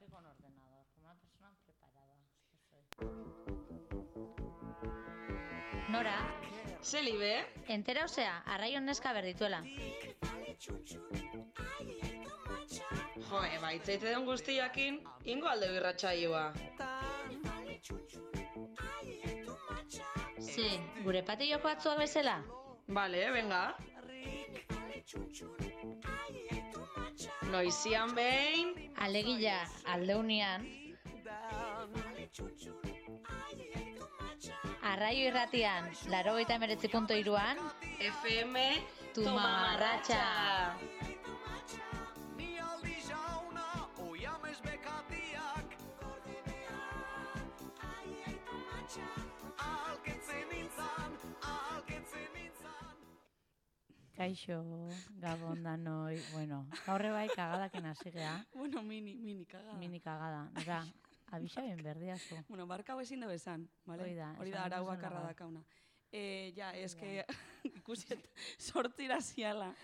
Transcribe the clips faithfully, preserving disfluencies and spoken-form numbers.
aquí con ordenador, como una persona preparada. Nora, Zelibe? entera osea, arraion neska berdituela. Jo, baitzaite den guztiakin, ingo alde birratxaioa. Ze, gure patilloko atzua bezala? Bale, venga. Noizian behin, Alegila, aldeunian. Arraio irratian, laro eta emeretzi punto iruan, F M Tu mamarratxa. Kaixo, gabon danoi, bueno, gaurre bai kagadaken hasi gea, Bueno, mini, mini kagada. mini kagada, nora, abisa ben berdiazu. Bueno, barka hau ezin da bezan, bale? Hoi da, Hori esan da arau duzun bakarra laga. dakauna. Eh, ja, es que ikusiet sortzira ziala.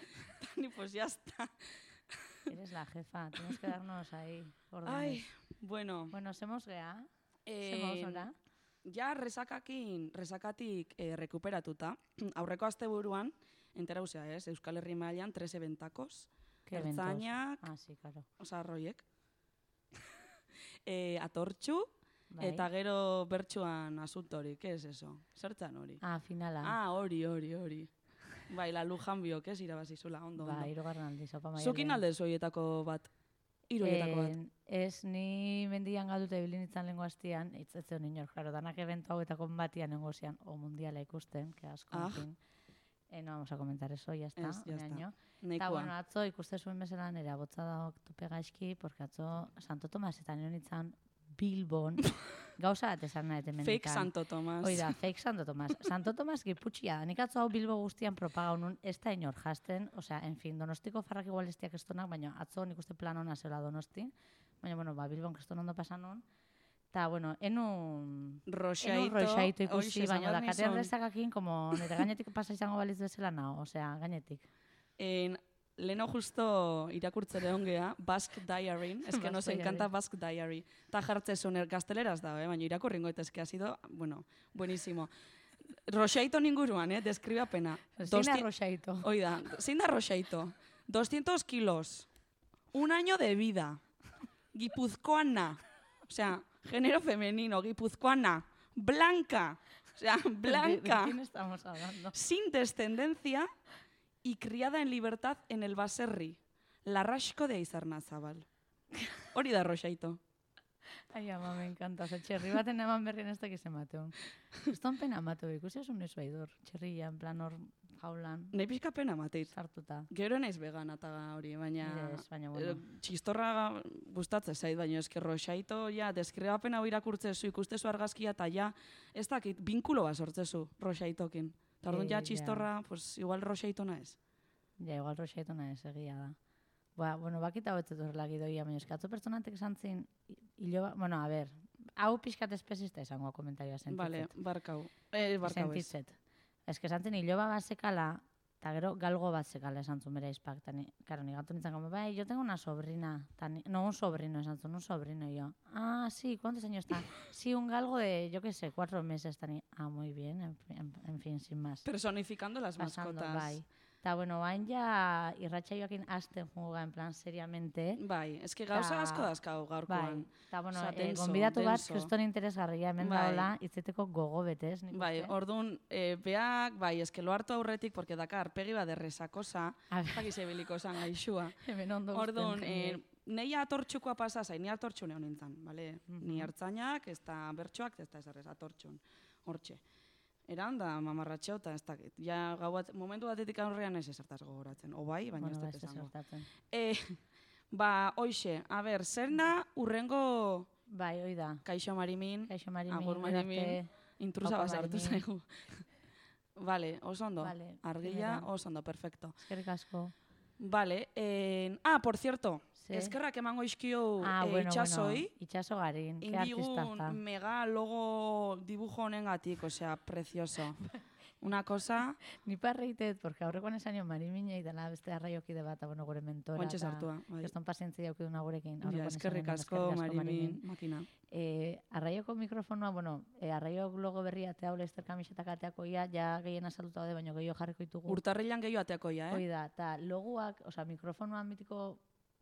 Tani, pues ya está. Eres la jefa, tienes que darnos ahí órdenes. Ai, bueno. Bueno, semos gea, eh, semos nora. Ja, resakakin, resakatik eh, rekuperatuta. Aurreko asteburuan, entera usea, ez? Euskal Herri mailan tres eventakos. ¿Qué eventos? Ertzainak, Ah, sí, claro. oza, arroiek. eh, atortxu, Bai. eta gero bertsuan asuntorik, ez eso? Zertzan hori? Ah, finala. Ah, hori, hori, hori. Bai, la Lujan biok, ez, irabazizula, ondo, Ba, ondo. hirugarren aldiz, opa maia. Zukin alde zoietako bat, hiruetako bat. Ez, ni mendian galdute bilin itzan lengo hastian, itzetzen inor, claro, danak eventu hauetako batian nengozian, o mundiala ikusten, que asko, Ah. en fin. Eh, no vamos a comentar eso, ya está. Ez, ya está. Eta, Nahikoa. bueno, atzo ikuste zuen bezala nire abotza da tope gaizki, porque atzo Santo Tomas eta nion itzan Bilbon, gauza bat esan nahi mendikan. Fake Santo Tomas. Hoi da, fake Santo Tomas. Santo Tomas giputxia da. Nik atzo hau Bilbo guztian propagau nun, ez da inor jasten, osea, en fin, Donostiko farrak igual ez diak estonak, baina atzo nik uste plan hona zela Donosti, baina, bueno, ba, Bilbon kriston ondo pasan nun, eta, bueno, enun... Roxaito. Enun roxaito ikusi, Hoxe, baina zabar dakate nizun. errezakakin, como nire gainetik pasa izango baliz bezala nao, osea, gainetik. En, leno justo irakurtzere ongea, Basque Diary, es que nos Basque encanta Diary. Basque Diary. Ta jartze zuner gazteleraz da, eh? Baina irakurringo eta eske ha sido, bueno, buenísimo. Roxaito ninguruan, eh? Deskribapena. Zein da Dosti- roxaito? Hoi da, zein da Roxaito? doscientos kilos, un año de vida, guipuzcoana, o sea, género femenino, guipuzcoana, blanca, o sea, ¿De, de blanca, quién estamos hablando? sin descendencia y criada en libertad en el baserri, Larraxko de Aizarnazabal. Hori da Roxaito. Ai, ama, me encanta. Oza, txerri baten eman berrien ez dakiz emateun. Eston pena amateu, ikusi esun ez baidor. Txerria, en plan hor jaulan, Nei pixka pena mateit. sartuta. Gero naiz vegana eta hori, baina, Nire ez, baina, bueno. eh, txistorra gustatzen zait, baina eske Roxaito, ja, deskribapen hau irakurtzezu, ikustezu argazkia, eta ja, ez dakit, binkulo bat sortzezu Roxaitokin. Eta orduan Eh, ja ja. txistorra, pues igual Roxaito nahez. Ja, igual roxaito nahez, egia da. Ba, bueno, bakita hau etzet horrela gidoia, baina eskatzo pertsonatek esan zin, hilo, ba- bueno, a ber, hau pixkat espezista izango komentarioa sentitzet. Vale, barkau. Eh, barkau ez. Sentitzet. Ez que esan zin, hiloba bat zekala, eta gero galgo bat zekala esan zuen bera izpak. Eta ni, karo, ni gatu nintzen, como, bai, yo tengo una sobrina. Ta ni, no, un sobrino, esan zuen, un sobrino. Y yo, ah, sí, ¿cuántos años está? Sí, un galgo de, yo qué sé, cuatro meses. Ta ni, ah, muy bien, en, en, en fin, sin más. Personificando las Pasando, mascotas. bai. Eta, bueno, bain ja irratsaioakin hasten juga, en plan, seriamente. Bai, eske gauza Ta- asko dazkau gaurkoan. Bai, eta, bueno, Osea, eh, denso, gonbidatu bat, denso. kriston interesgarria hemen Bai. daola, itzeteko gogo betez, nik Bai, uste. orduan, e, beak, bai, eske lo hartu aurretik, porque dakar, pegi bat derrezakosa, A ver. jakiz ebiliko zan gaixua. Hemen ondo Orduan, usten, eh, nei atortxukoa pasa zain, ni atortxu neon nintzen, bale? Ni hartzainak, ez da bertxoak, ez da ez errez, atortxun, hortxe. Eran da mamarratxeo eta ez dakit. Ja, gau bat, momentu batetik aurrean ez ezertaz gogoratzen. O bai, baina Bueno, ez ba, dut ez esango. esortatzen. Eh, ba, hoxe, a ber, zer da urrengo Bai, hoi da. kaixo marimin, Kaixo Marimin, agur marimin, arte. intrusa Opa, basartu Marimin. zaigu. Vale, oso ondo. Vale, Argia, primera. oso ondo, perfecto. Eskerrik asko. Vale, eh, ah, por cierto, Ze? eskerrak emango izkio Ah, eh, bueno, itxasoi, bueno, itxaso garin, ke artista indigun está. mega logo dibujo honengatik, osea, precioso. una cosa... Ni parreitet, porque aurrekoan esan jo Mariminei dela beste arraiokide bat, bueno, gure mentora. Oantxe sartua, bai. Keston pazientzia jaukiduna gurekin. Ja, eskerrik asko, Marimin, makina. Eh, arraioko mikrofonoa, bueno, eh, arraiok logo berria atea hola ester kamisetak ateako ia, ja gehien asalduta daude, baina gehiago jarriko ditugu. Urtarrilan gehiago ateako ia, eh? Hoi da, eta logoak, osea, mikrofonoan mitiko,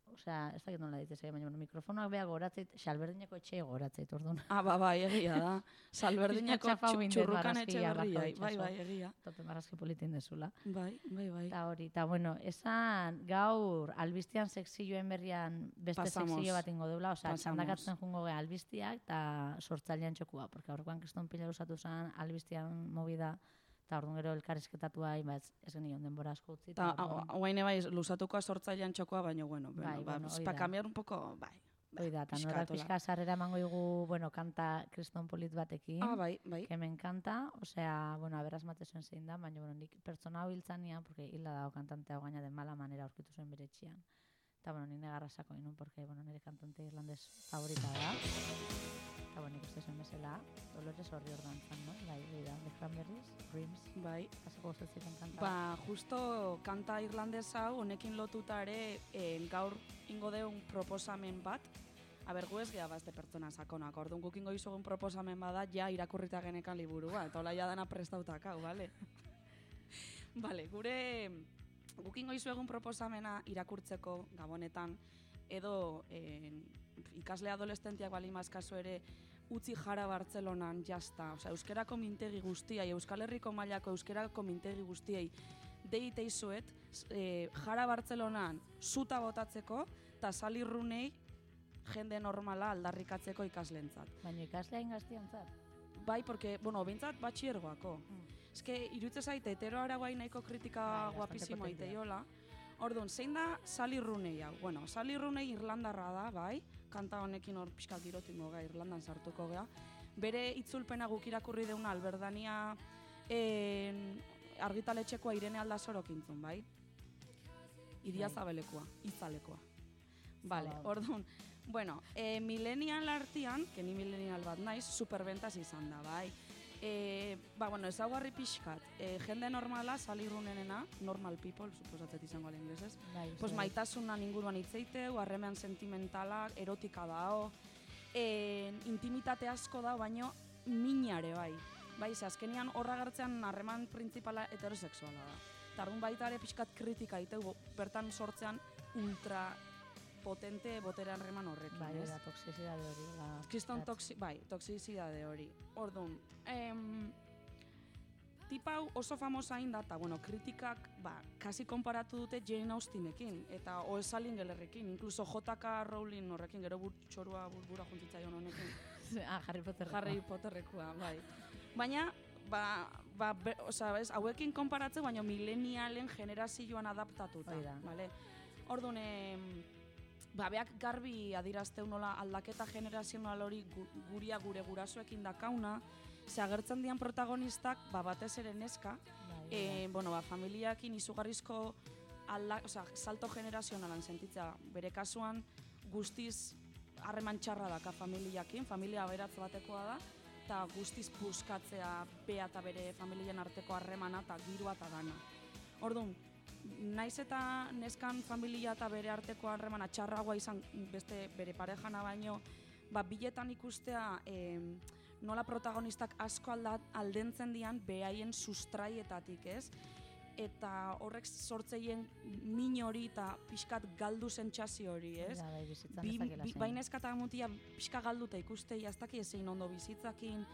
osea, ez dakit nola ditzea, baina bueno, mikrofonoak beha goratzeit, Salberdineko etxea goratzeit, orduan. Ah, ba, bai, egia da. Salberdineko txurrukan etxe berria, bai, bai, egia. Tope marrazki politin dezula. Bai, bai, bai. Eta hori, eta bueno, esan gaur albiztian sekzioen berrian beste Pasamos. sekzio bat ingo deula, osea, Pasamos. txandakatzen jungo gea albiztiak eta sortzailean txokua, porque aurrekoan kriston pila usatu zen albiztian movida, eta orduan gero elkarrizketatua, ba, ez, ez genion denbora asko utzi. Eta guaine bai, lusatukoa sortzailean txokoa, baina, bueno, Bai, bueno, ba, bueno, hoi pa da. cambiar un poco, bai. Hoi da, eta pixkat, norak hola. pixka sarrera emango igu, bueno, kanta kriston polit batekin. Ah, bai, bai. Que me encanta, osea, bueno, aberaz matezuen zein da, baina, bueno, nik pertsona hau hiltzania, porque hilda dago kantante hau gaina de mala manera aurkitu zuen bere etxean. Eta, bueno, nire garrasako inun, porque, bueno, nire kantante irlandez favorita da. Eta, bueno, ikuste zuen bezala, Dolores horri ordantzan, no? Bai, bai da, The Cranberries, Dreams, Bai. pasako gustatzen kanta. Ba, justo kanta irlandez hau, honekin lotuta ere, eh, gaur ingo deun proposamen bat, Aber, gu ez geha bazte pertsona sakonak, orduan guk ingo izugun proposamen bada, ja irakurrita genekan liburua, eta hola ja dana prestautak hau, bale? Bale, gure guk ingo izugun proposamena irakurtzeko gabonetan, edo eh, ikasle adolescentiak bali mazkazu ere, utzi jara Bartzelonan jazta, osea, euskerako mintegi guztiai, Euskal Herriko mailako euskerako mintegi guztiei, deite izuet, e, jara Bartzelonan zuta botatzeko, eta salirrunei jende normala aldarrikatzeko ikaslentzat. Baina ikaslea ingaztiantzat. Bai, porque, bueno, bintzat batxiergoako. Mm. Ez que, irutze zaite, hetero araguai nahiko kritika Bai, guapizimo bastante aiteiola. Orduan, zein da salirrunei hau? Bueno, salirrunei irlandarra da, bai, kanta honekin hor pixka girotingo ga, Irlandan sartuko gea. Bere itzulpena guk irakurri deuna Alberdania en, argitaletxekoa Irene Aldazorok intzun, bai? Iria Zabelekoa, itzalekoa. Vale, orduan, bueno, e, millennial artian, que ni millennial bat naiz, superbentas izan da, bai. E, ba, bueno, ezaugarri pixkat, e, jende normala, salirrunenena, normal people, suposatzet izango ala inglesez, Bai, pues maitasunan inguruan hitzeiteu, harremean sentimentalak, erotika dao, e, intimitate asko da, baino minare bai. Bai, ze azkenian horra gertzean harreman printzipala heterosexuala da. Eta arduan baita ere pixkat kritika iteu, bertan sortzean ultra potente botere harreman horrekin, Bai, ez? da, toxizidade hori. La, Kriston toxi, bai, toxizidade hori. Orduan, em, tipa hau oso famosa hain da, eta, bueno, kritikak, ba, kasi konparatu dute Jane Austenekin, eta O S. Lingelerrekin, incluso J K. Rowling horrekin, gero burtxorua burbura juntitzaion honekin. ah, Harry Potterrekoa. Harry Potterrekoa, bai. Baina, ba, ba, be, oza, bez, hauekin konparatze, baina millennialen generazioan adaptatuta. Hoi da. Vale? Orduan, em, ba, beak garbi adirazteu nola aldaketa generazional hori gu, guria gure gurasoekin dakauna, ze agertzen dian protagonistak, ba, batez ere neska, Bai, e, bueno, ba, familiakin izugarrizko alda, oza, salto generazionalan sentitzea, bere kasuan guztiz harreman txarra daka familiakin, familia aberatz batekoa da, eta guztiz puskatzea bea eta bere familien arteko harremana eta girua eta dana. Orduan, naiz eta neskan familia eta bere arteko harremana txarragoa izan beste bere parejana baino, ba, biletan ikustea eh, nola protagonistak asko aldat, aldentzen dian behaien sustraietatik, ez? Eta horrek sortzeien min hori eta pixkat galdu sentsazio hori, ez? Ja, bai, bizitzan Bi, ez dakila bi, zein. bai neska eta mutia pixka galduta ikustei, ez daki ezein ondo bizitzakin,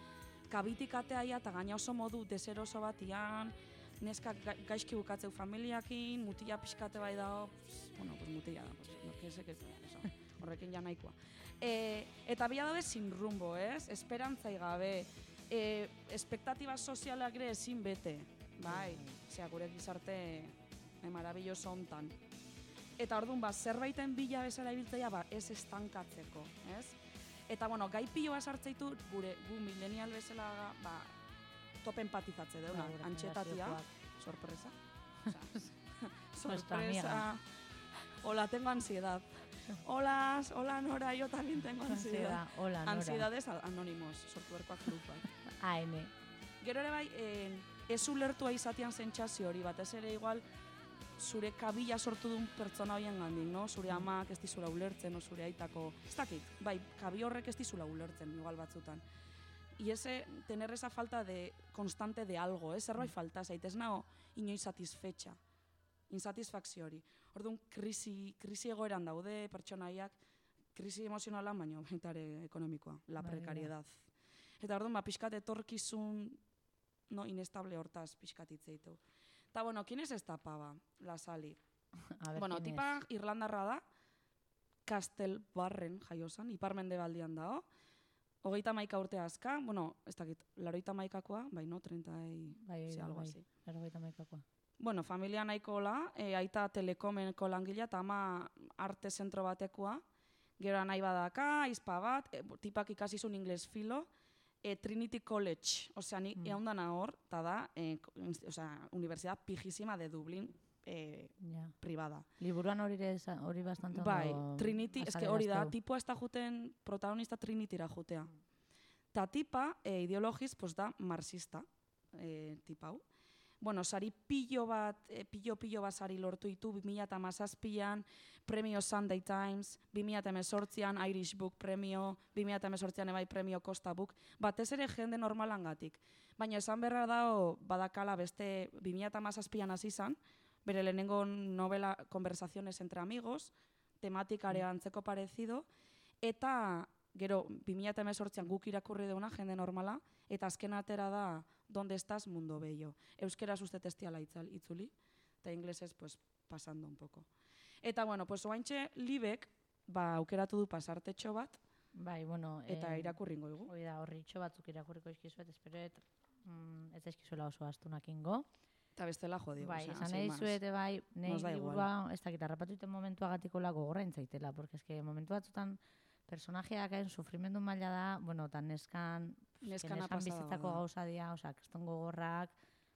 kabitikatea eta gaina oso modu deseroso batian, neska ga, gaizki bukatzeu familiakin, mutia pixkate bai dago, pss, bueno, pues mutia da, pues, no, que se, que, eso, horrekin ja nahikoa. E, eta bila dabe sin rumbo, ez? Esperantzai gabe, e, espektatiba sozialak ere ezin bete, bai, zera gure gizarte e, marabilloso hontan. Eta orduan, ba, zerbaiten bila bezala ibiltzaia, ba, ez estankatzeko, ez? Eta, bueno, gai piloa sartzeitu, gure, gu millennial bezala, ba, top empatizatze deuna, Ba, gure antxetatia, generaziokoak. sorpresa, Nuestra sorpresa, amiga. hola, tengo ansiedad. Hola, hola Nora, yo también tengo ansiedad. Ansiedad, hola, Nora. Ansiedades anónimos, sortuerkoak grupak. A N. Gero ere bai, eh, ez ulertua izatean sentsazio hori, batez ere igual zure kabila sortu duen pertsona horien gandik, no? Zure amak ez dizula ulertzen, o zure aitako, ez dakit, bai, kabi horrek ez dizula ulertzen, igual batzutan. Y ese, tener esa falta de, constante de algo, eh? Zerbait falta, zaitez nao, inoiz satisfetxa, insatisfakzio hori. Orduan, krisi, krisi egoeran daude pertsonaiak, krisi emozionala, baina baita ere ekonomikoa, la precariedad. Eta orduan, ba, pixkat etorkizun, no, inestable hortaz pixkat hitzeitu. Eta, bueno, ¿quién es esta pava? La Sally. Bueno, tipa irlandarra da, Castelbarren jaiosan, iparmendebaldian dago, hogeita maika urte azka, bueno, ez dakit, laroita maikakoa, bai, no, treinta y... Bai, sí, algo bai, así. laroita maikakoa. Bueno, familia nahiko hola, e, aita telekomenko langilea, eta ama arte zentro batekoa, gero nahi badaka, izpa bat, e, tipak ikasizun ingles filo, e, Trinity College, osea, ni mm. eundana hor, eta da, e, osea, Universidad Pijísima de Dublín, eh, yeah. privada. Liburuan hori hori bastante ondo. Bai, Trinity, eske hori da, tipua ez da juten, protagonista Trinityra jutea. Ta tipa, eh, ideologiz, pues da marxista, eh, tipa hau. Bueno, sari pillo bat, eh, pillo pillo bat sari lortu ditu, bi mila hamazazpian, premio Sunday Times, bi mila hemezortzian Irish Book premio, bi mila hemezortzian ebai premio Costa Book, batez ere jende normalangatik. Baina esan berra dao, badakala beste bi mila hamazazpian hasi izan, bere lehenengo novela Conversaciones entre amigos, tematikare antzeko parecido, eta gero bi mila hemezortzian guk irakurri deuna jende normala, eta azken atera da Donde estás, mundo bello. Euskeraz uste testiala itzuli, eta inglesez pues, pasando un poco. Eta bueno, pues oaintxe Libek ba, aukeratu du pasartetxo bat, bai, bueno, eta eh, irakurringo dugu. Hoi da, horritxo batzuk irakurriko izkizuet, espero mm, ez eskizuela oso astunakingo. Eta bestela jodio. Bai, o sea, esan nahi zuete bai, nahi liburua, ez dakit, harrapatu iten momentua gatiko lago gorra intzaitela, porque eske momentu batzutan personajeak hain sufrimendu maila da, bueno, tan neskan, neskan bizitzako gauza dia, oza, kriston gogorrak,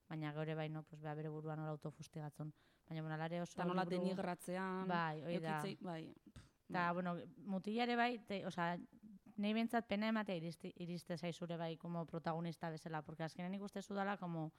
baina gaur bai, no, pues, beha bere buruan nola autofustigatzen. Baina, bueno, alare oso... Eta nola denigratzean, bai, oida. Bai, eta, bueno, mutilare bai, te, oza, nahi bentsat pena ematea iriste, iriste zaizure bai, como protagonista bezala, porque azkenen ikuste zudala, como,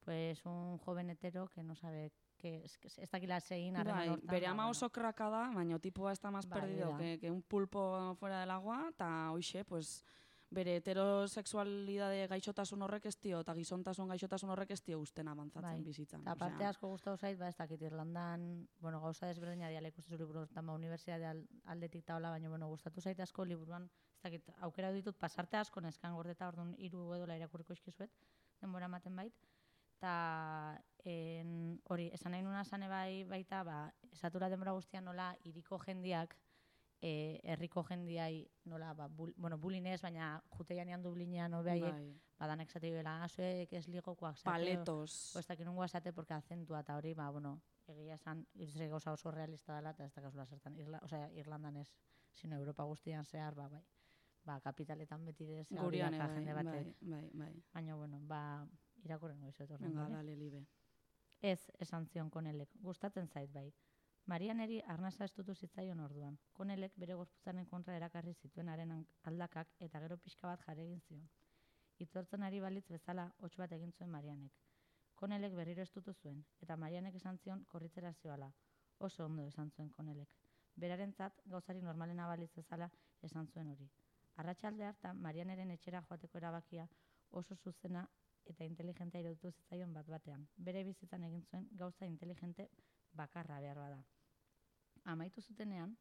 pues, un joven hetero que no sabe... que ez dakila zein harreman hortan. Bere ama oso kraka da, baina tipua ez da más perdido que, que un pulpo fuera del agua, eta hoxe, pues, bere heterosexualidade gaixotasun horrek ez dio, eta gizontasun gaixotasun horrek ez dio usten abantzatzen bizitzan. Eta parte asko gustatu zait, ba, ez dakit Irlandan, bueno, gauza desberdina diala ikusten zu liburu, eta unibertsitate aldetik taola, baina, bueno, gustatu zait asko liburuan, ez dakit, aukera ditut pasarte asko neskan gordeta, orduan hiru edola irakurriko izkizuet, denbora ematen bait. Eta hori, esan nahi nuna zane bai, baita, ba, esatura denbora guztian nola iriko jendiak, e, herriko jendiai nola, ba, bul, bueno, bulinez, baina juteian ean Dublinean obeiek, bai. Badanek zate bela, azuek ez ligokoak zate. Paletos. O, ez dakit nungoa zate, porque azentua eta hori, ba, bueno, egia esan, irze gauza oso realista dela, eta ez da kasula zertan, Irla, osea, Irlandan ez, sino Europa guztian zehar, ba, bai. Ba, kapitaletan beti dez, gurian jende batek. Bai, bai, bai. Baina, bueno, ba, irakurren goizu etorren. Venga, dale, Libe. Ez, esan zion Konelek, gustatzen zait bai. Marianeri arnasa estutu zitzaion orduan. Konelek bere gorputzaren kontra erakarri zituenaren aldakak eta gero pixka bat jare egin zion. Itortzen ari balitz bezala hots bat egin zuen Marianek. Konelek berriro estutu zuen, eta Marianek esan zion korritzera zioala. Oso ondo esan zuen Konelek. Berarentzat gauzari normalena balitz bezala esan zuen hori. Arratsalde hartan Marianeren etxera joateko erabakia oso zuzena eta inteligentea iruditu zitzaion bat batean. Bere bizitzan egin zuen gauza inteligente bakarra behar bada. Amaitu zutenean,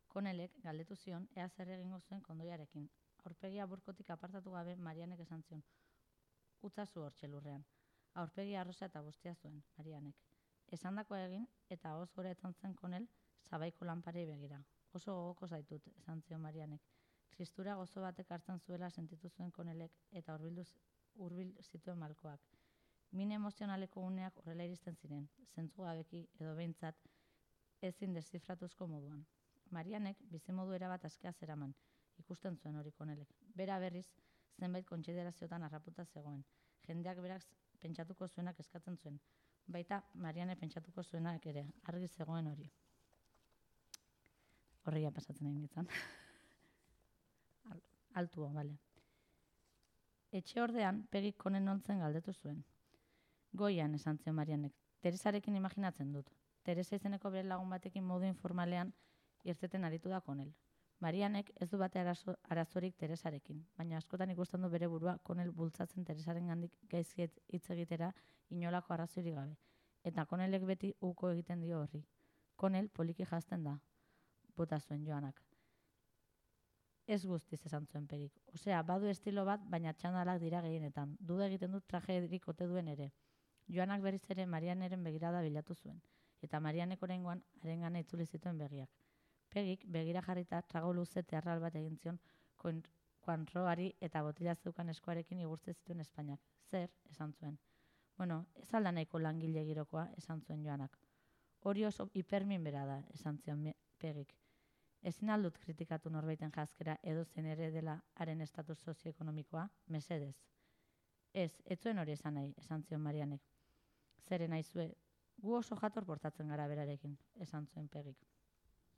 Konelek galdetu zion ea zer egingo zuen kondoiarekin. Aurpegia burkotik apartatu gabe Marianek esan zion. Utzazu hortxe lurrean. Aurpegia arrosa eta guztia zuen, Marianek. Esandakoa egin eta hoz gora etzan zen Konel sabaiko lanparei begira. Oso gogoko zaitut, esan zion Marianek. Tristura gozo batek hartzen zuela sentitu zuen Konelek eta hurbildu hurbil zituen malkoak. Min emozionaleko uneak horrela iristen ziren, zentzu gabeki edo behintzat ezin deszifratuzko moduan. Marianek bizimodu erabat askea zeraman, ikusten zuen hori Konelek. Bera berriz, zenbait kontsideraziotan harraputa zegoen. Jendeak berak pentsatuko zuenak eskatzen zuen. Baita Mariane pentsatuko zuenak ere, argi zegoen hori. Horria pasatzen egin ditzan. Altuo, bale. Etxe ordean, Pegik Konen ontzen galdetu zuen. Goian esan zion Marianek, Teresarekin imaginatzen dut. Teresa izeneko bere lagun batekin modu informalean irteten aritu da Konel. Marianek ez du bate arazo, arazorik Teresarekin, baina askotan ikusten du bere burua Konel bultzatzen Teresaren gandik gaizki hitz egitera inolako arrazoirik gabe. Eta Konelek beti uko egiten dio horri. Konel poliki jazten da, bota zuen Joanak. Ez guztiz esan zuen Pegik. Osea, badu estilo bat, baina txandalak dira gehienetan. Duda egiten dut trajerik ote duen ere. Joanak berriz ere Marianeren begirada bilatu zuen, eta Marianek oraingoan harengana itzuli zituen begiak. Pegik begira jarrita trago luze tearral bat egin zion Koinroari eta botila zeukan eskuarekin igurtze zituen Espainiak. Zer, esan zuen. Bueno, ez alda nahiko langile girokoa, esan zuen Joanak. Hori oso hipermin bera da, esan zion Pegik. Ezin aldut kritikatu norbaiten jazkera edo zen ere dela haren estatus sozioekonomikoa, mesedez. Ez, ez zuen hori esan nahi, esan zion Marianek. Zeren naizue, gu oso jator portatzen gara berarekin, esan zuen Pegik.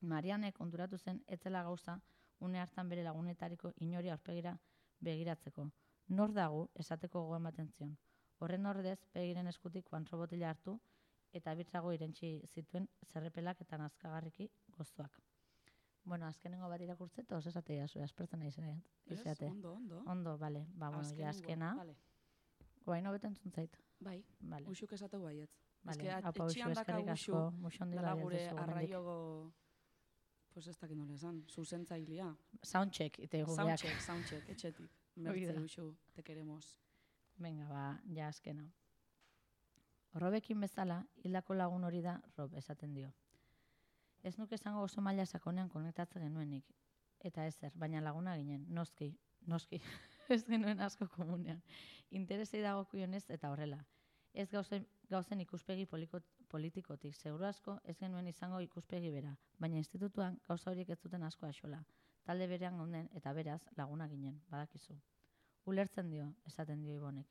Marianek konturatu zen etzela gauza une hartan bere lagunetariko inori aurpegira begiratzeko. Nor dago esateko gogoa ematen zion. Horren ordez, Pegiren eskutik Koinro botila hartu eta birtzago irentsi zituen zerrepelak eta nazkagarriki gozoak. Bueno, azkenengo bat irakurtze, eta oso esatea zuen, aspertzen nahi zen. Ez, ondo, ondo. Ondo, bale, ba, bueno, ja azkena. Vale. Guain hobeten zuntzait. Bai, vale. Uxuk esateu baietz. Vale, Ez haupa Uxu, eskerrik asko, muxondi dala bai gure ez duzu arraiogo, pues ez dakit nola esan, zuzentzailea. Soundcheck, ite gureak. Soundcheck, soundcheck, etxetik. Mertze Uxu, te queremos. Venga, ba, ja azkena. Robekin bezala, hildako lagun hori da Rob esaten dio. Ez nuke esango oso maila sakonean konektatzen genuenik. Eta ezer, baina laguna ginen, noski, noski, ez genuen asko komunean. Interesei dagokionez eta horrela. Ez gauzen, gauzen ikuspegi poliko, politikotik, seguru asko ez genuen izango ikuspegi bera, baina institutuan gauza horiek ez zuten asko axola. Talde berean gaunden eta beraz laguna ginen, badakizu. Ulertzen dio, esaten dio Ibonek.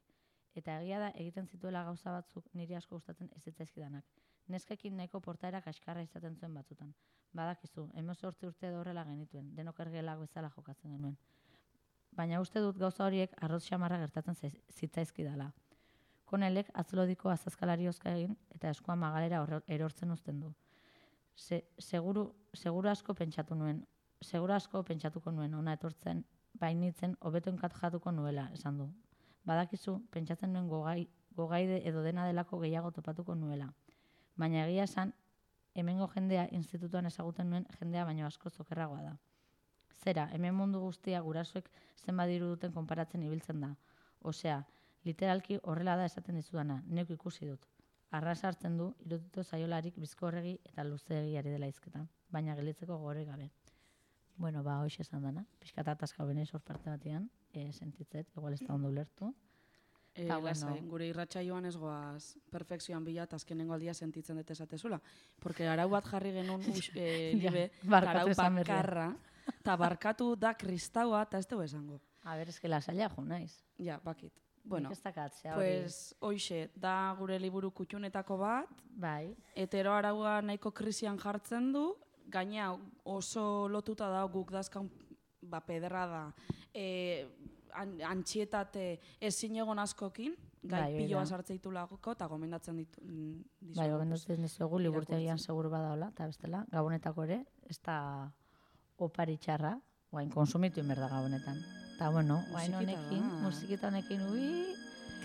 Eta egia da egiten zituela gauza batzuk niri asko gustatzen ez zitzaizkidanak. Neskekin nahiko portaera kaskarra izaten zuen batzutan. Badakizu, hemezortzi urte edo horrela genituen, denok ergelak bezala jokatzen genuen. Baina uste dut gauza horiek arroz xamarra gertatzen zitzaizkidala. Konelek atzlodiko azazkalari ozka egin eta eskua magalera erortzen uzten du. Se, seguru, seguru asko pentsatu nuen, seguru asko pentsatuko nuen, ona etortzen, bainitzen, hobeto enkajatuko nuela, esan du. Badakizu, pentsatzen nuen gogai, gogaide edo dena delako gehiago topatuko nuela. Baina egia esan, hemengo jendea institutuan ezaguten nuen jendea baino asko zokerragoa da. Zera, hemen mundu guztia gurasoek zenbat diru duten konparatzen ibiltzen da. Osea, literalki horrela da esaten dizudana, neuk ikusi dut. Arras hartzen du, irututo zaiolarik bizkorregi eta luzeegiari dela izketan, baina gelitzeko gore gabe. Bueno, ba, hoxe esan dana, pixkata ataskau benez hor parte batean, e, sentitzet, igual ez da ondo ulertu. E, lasai, bueno. Gure irratsaioan ez goaz perfekzioan bila eta azkenengo aldia sentitzen dut esatezula. Porque arau bat jarri genuen e, libe, ja, arau bakarra, eta barkatu da kristaua, eta ez dugu esango. A ber, ez que lasaila jo naiz. Ja, bakit. Bueno, dakatzea, pues, hoxe, da gure liburu kutxunetako bat, bai. Hetero araua nahiko krisian jartzen du, gaina oso lotuta da guk dazkan ba, pederra da. E, antxietate ezin egon askokin, gai bai, piloa sartzeitu lagoko, eta gomendatzen ditu. dizugu. Bai, gomendatzen dizugu, liburtegian seguru badaola, eta bestela, gabonetako ere, ez da opari txarra, guain konsumitu inber da gabonetan. Eta bueno, guain honekin, musikita honekin, ui...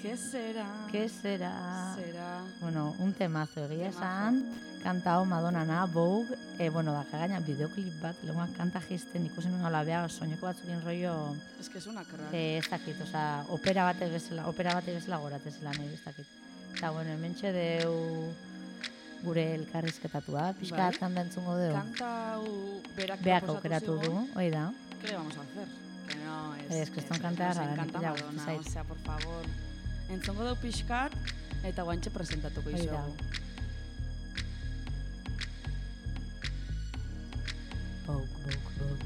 ¿Qué será? ¿Qué será? Será... Bueno, un temazo egia esan, kantao Madonnana, Vogue, e, bueno, da, gaina bideoklip bat, leguan kanta jisten ikusen nuen alabea, soineko batzukin rollo... Es que es una crack. Eh, ez dakit, oza, opera bat bezala, opera bat bezala goratzezela nahi, ez dakit. Eta, bueno, hementxe deu gure elkarrizketatua, pixkat kanta entzungo deu. Kanta berak beak aukeratu du, hoi da. ¿Qué le vamos a hacer? Que no, es... Es que esto encanta rara, encanta Madonna, o sea, por favor... Entzongo deu pixkat, eta guantxe presentatuko izugu. Bouk, bouk, bouk.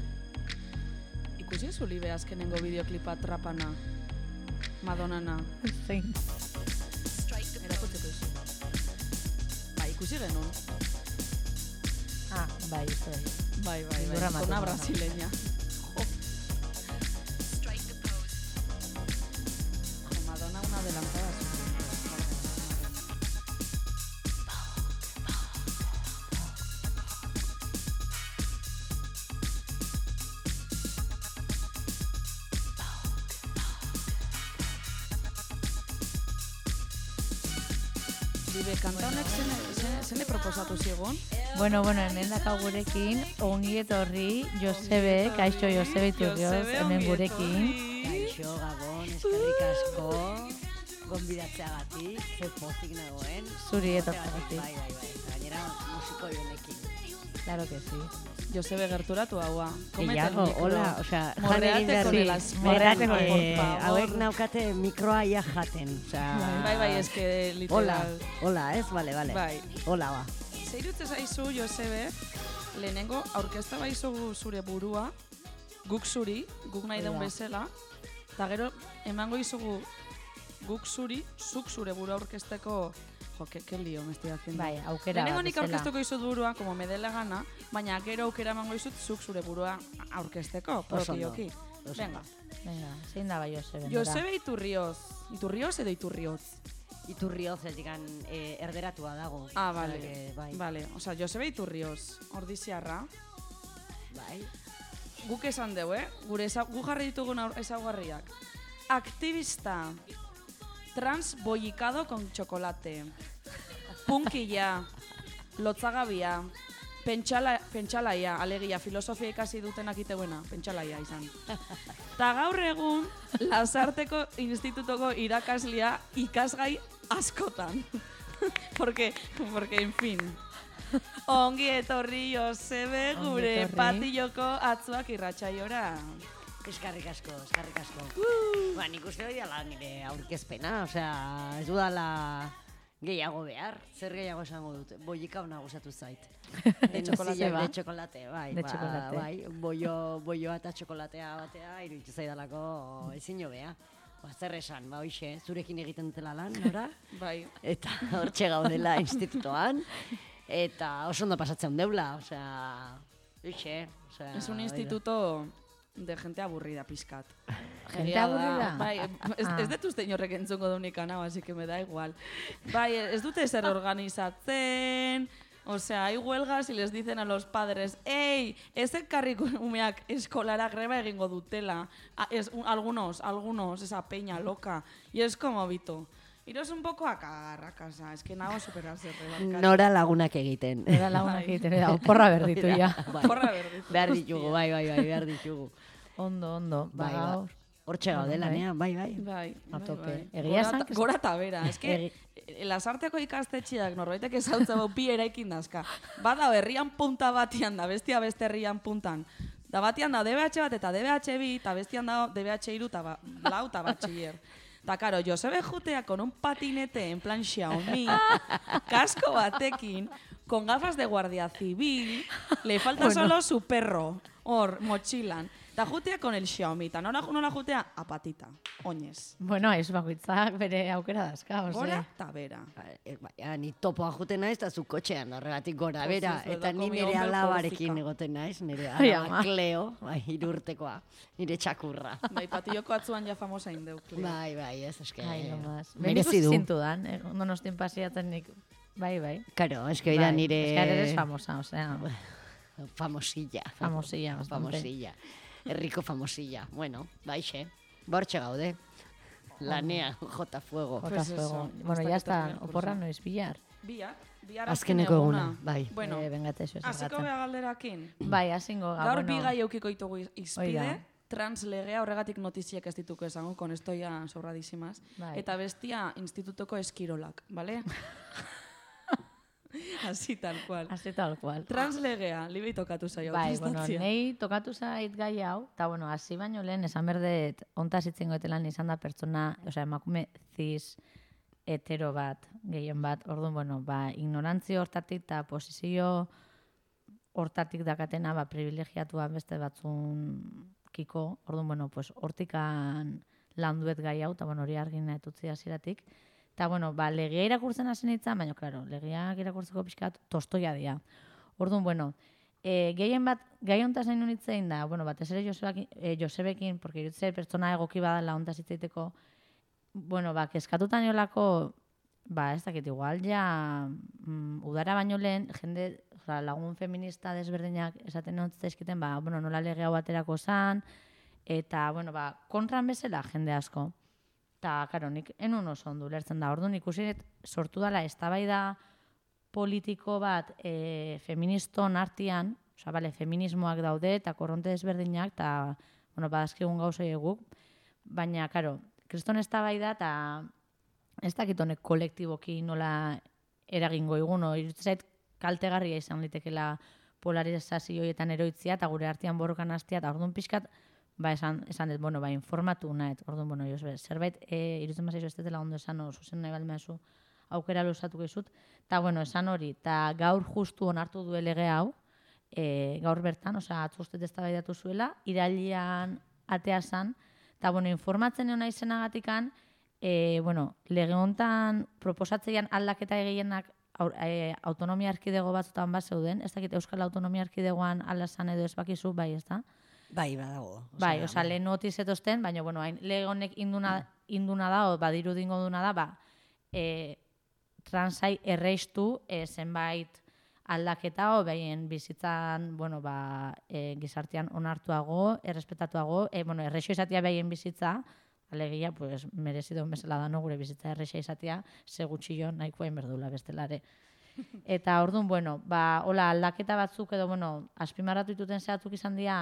Ikusi zu libe azkenengo bideoklipa trapana, Madonnana? Zein. Erakutzeko izu. Ba, ikusi genuen. Ah, bai, izu bai. Bai, bai, bai, zona brasileña. Adelantada. Libe, kanta honek zene, zene, zene proposatu zigun? Bueno, bueno, hemen dakau gurekin, ongi etorri, Josebe, kaixo Josebe Iturrioz, hemen gurekin. Kaixo, Gabon, eskerrik asko, gonbidatzeagatik, ze pozik nagoen. Zuri etortzagatik. Bai, bai, bai, gainera musiko jonekin. Claro que sí. Josebe gerturatu haua. Gehiago, hola, osea, jan Morreate egin behar con di. el aspe- Morreate, por eh, favor. hauek naukate mikroa ia jaten, osea... Bai, bai, eske Hola, literal. hola, ez, bale, bale. Bai. Hola, ba. Zeirutze zaizu, Josebe, lehenengo aurkezta baizu zure burua, guk zuri, guk nahi Hori den da. bezala, eta gero emango izugu guk zuri, zuk zure burua aurkezteko, jo, que, que lío me estoy haciendo. Bai, aukera Lehenengo bat nik bezala. aurkeztuko izut burua, como me dela gana, baina gero aukera emango izut zuk zure burua aurkezteko, Oso ondo. propioki. Oso Venga, Venga, zein da bai Josebe? Josebe Iturrioz. Iturrioz edo Iturrioz? Iturrioz edikan eh, erderatua dago. Ah, Osea, vale. que, bai, Vale, osea, Josebe Iturrioz, ordiziarra. bai. Guk esan dugu, eh? Gure eza, gu jarri ditugun aur- ezaugarriak. Aktivista. Trans bollicado con chocolate. Punkilla. Lotzagabia. Pentsala, pentsalaia, alegia, filosofia ikasi dutenak iteuena, pentsalaia izan. Ta gaur egun, Lasarteko institutoko irakaslia ikasgai askotan. porque, porque, en fin. Ongi etorri Josebe Ongi gure etorri. patilloko atzuak irratsaiora. Eskarrik asko, eskarrik asko. Ba, nik uste hori dala nire aurkezpena, osea, ez dudala gehiago behar. Zer gehiago esango dut? Bollika hona gustatu zait. De txokolate, ba? De txokolate, bai. De ba, txokolate. Bai, bollo, bolloa eta txokolatea batea, iruditu zaidalako ezin hobea. Ba, zer esan, ba, hoxe, zurekin egiten dutela lan, nora? Bai, Eta hortxe gaudela institutoan. Eta oso ondo pasatzen deula, osea, hoxe, osea... es un hori da. instituto de gente aburrida, pizkat. Gente Egia da. aburrida? Bai, ez, Ah. ez dut uste inorrek entzungo dunik anau, así que me da igual. Bai, ez dute zer organizatzen, o sea, hay huelgas y les dicen a los padres, ¡ey! Ez ekarriko umeak eskolara greba egingo dutela. A, es, un, algunos, algunos, esa peña loca. Y es como, Vito, iros un poco a cagar a casa, es que nago superarse rebarkatu. Nora lagunak egiten. Era lagunak egiten, da, oporra berditu ja. Bai. Porra berditu. Behar ditugu, bai, bai, bai, behar ditugu. Ondo, ondo, Bai, ba, ba. gaur. Hortxe gaudela, Bai. nea, bai, bai. Bai, A bai, tope. bai. Egia Gora esan ta- que- Gora eta bera, eske Egi- Lasarteko ikastetxeak norbaitek ezautza bau bi eraikin dazka. Bada herrian punta batian da, bestia beste herrian puntan. Da batian da D B H bat eta D B H bi, eta bestian da D B H hiru eta ba, lau eta batxiller. Ta karo, Josebe jutea con un patinete en plan Xiaomi, kasko batekin, con gafas de guardia civil, le falta Bueno. solo su perro, hor, mochilan. Ta jutea con el Xiaomi, ta nora, nora jutea a patita, oinez. Bueno, ez bakoitzak bere aukera dazka, ose. Gora eta bera. Baina, ni topoa juten naiz, eta zu kotxean, horregatik gora, Pues bera. ez, Eta verdad, ni con mi nire hombre alabarekin Korsika. egoten naiz, nire Ai, alaba ama. Cleo, bai, irurtekoa, nire txakurra. Bai, patilloko atzuan ja famosa indeu. Bai, bai, ez eske. Ai, no más. Merezi du. zintu dan, eh, donostin pasiatzen nik. Bai, bai. Karo, eske dira Bai, nire... eske eres famosa, osea, Famosilla. famosilla, bastante. Famosilla. Herriko famosilla. Bueno, baixe. Bortxe gaude. Lanea, jota fuego. Jota Pues eso, fuego. Bueno, hasta ya que está, termine el oporra curso. noiz bihar. Bihar, bihar Azkeneko eguna, bai. Bueno, Eh, bengate eso hasiko esaten. gea galderakin. Bai, hasingo ga, Gaur bueno. bi gai eukiko ditugu iz- izpide, Hori da. translegea horregatik notiziak ez dituko esango, con esto ya sobradísimas. Bai. Eta bestia institutoko eskirolak, vale? Así tal cual. Así tal cual. Translegea, libei tokatu zaio. Bai, bueno, prestatzea. nei tokatu zait gai hau, eta bueno, hasi baino lehen esan berdet ontaz itzen goetelan izan da pertsona, osea, emakume cis hetero bat, gehien bat, orduan, bueno, ba, ignorantzio hortatik eta posizio hortatik dakatena, ba, privilegiatua beste batzun kiko, orduan, bueno, pues, hortikan landuet gai hau, eta bueno, hori argina etutzi hasieratik. Eta, bueno, ba, legia irakurtzen hasi nintzen, baina, klaro, legiak irakurtzeko pixkat tostoia dira. Orduan, bueno, e, gehien bat, gai hontaz nahi nunitzen da, bueno, batez ere Josebekin, e, Josebekin, porque irutze pertsona egoki badala hontaz hitzaiteko, bueno, ba, keskatutan niolako, ba, ez dakit, igual, ja, mm, udara baino lehen, jende, oza, lagun feminista desberdinak esaten hontzaizkiten, ba, bueno, nola lege hau baterako zan, eta, bueno, ba, kontran bezala jende asko. Eta eta, karo, nik enun oso ondo ulertzen da. Orduan ikusi sortu dela eztabaida politiko bat e, feministon artean, osea, bale, feminismoak daude eta korronte desberdinak, eta, bueno, badazkigun gauzoi eguk, baina, karo, kriston eztabaida eta ez dakit honek kolektiboki nola eragingo iguno, iruditzen zait kaltegarria izan litekela polarizazioetan eroitzia eta gure artean borrokan hastea, eta orduan pixkat, ba, esan, esan dut, bueno, ba, informatu nahet, orduan, bueno, jo, zerbait, e, iruditzen bazaizu ez dutela ondo esan, o, zuzen nahi balmeazu, aukera luzatuko izut, eta, bueno, esan hori, eta gaur justu onartu du lege hau, e, gaur bertan, osea, atzustet eztabaidatu zuela, irailean atea zan, eta, bueno, informatzen egon izenagatikan, e, bueno, lege hontan proposatzeian aldaketa egienak e, autonomia erkidego batzutan bat zeuden, ez dakit Euskal Autonomia Erkidegoan alazan edo ez bakizu, bai, ez da? Bai, badago. Bai, osea, lehen notiz etozten, baina, bueno, hain, lege honek induna, induna da, o badiru dingo duna da, ba, e, transai erreistu e, zenbait aldaketa, o behien bizitzan, bueno, ba, e, gizartean onartuago, errespetatuago, e, bueno, erreixo izatea behien bizitza, alegia, pues, merezidun bezala da, no, gure bizitza erreixa izatea, segutxillo nahikoa inberdula bestelare. Eta orduan, bueno, ba, hola, aldaketa batzuk edo, bueno, azpimarratu dituten zehatzuk izan dira,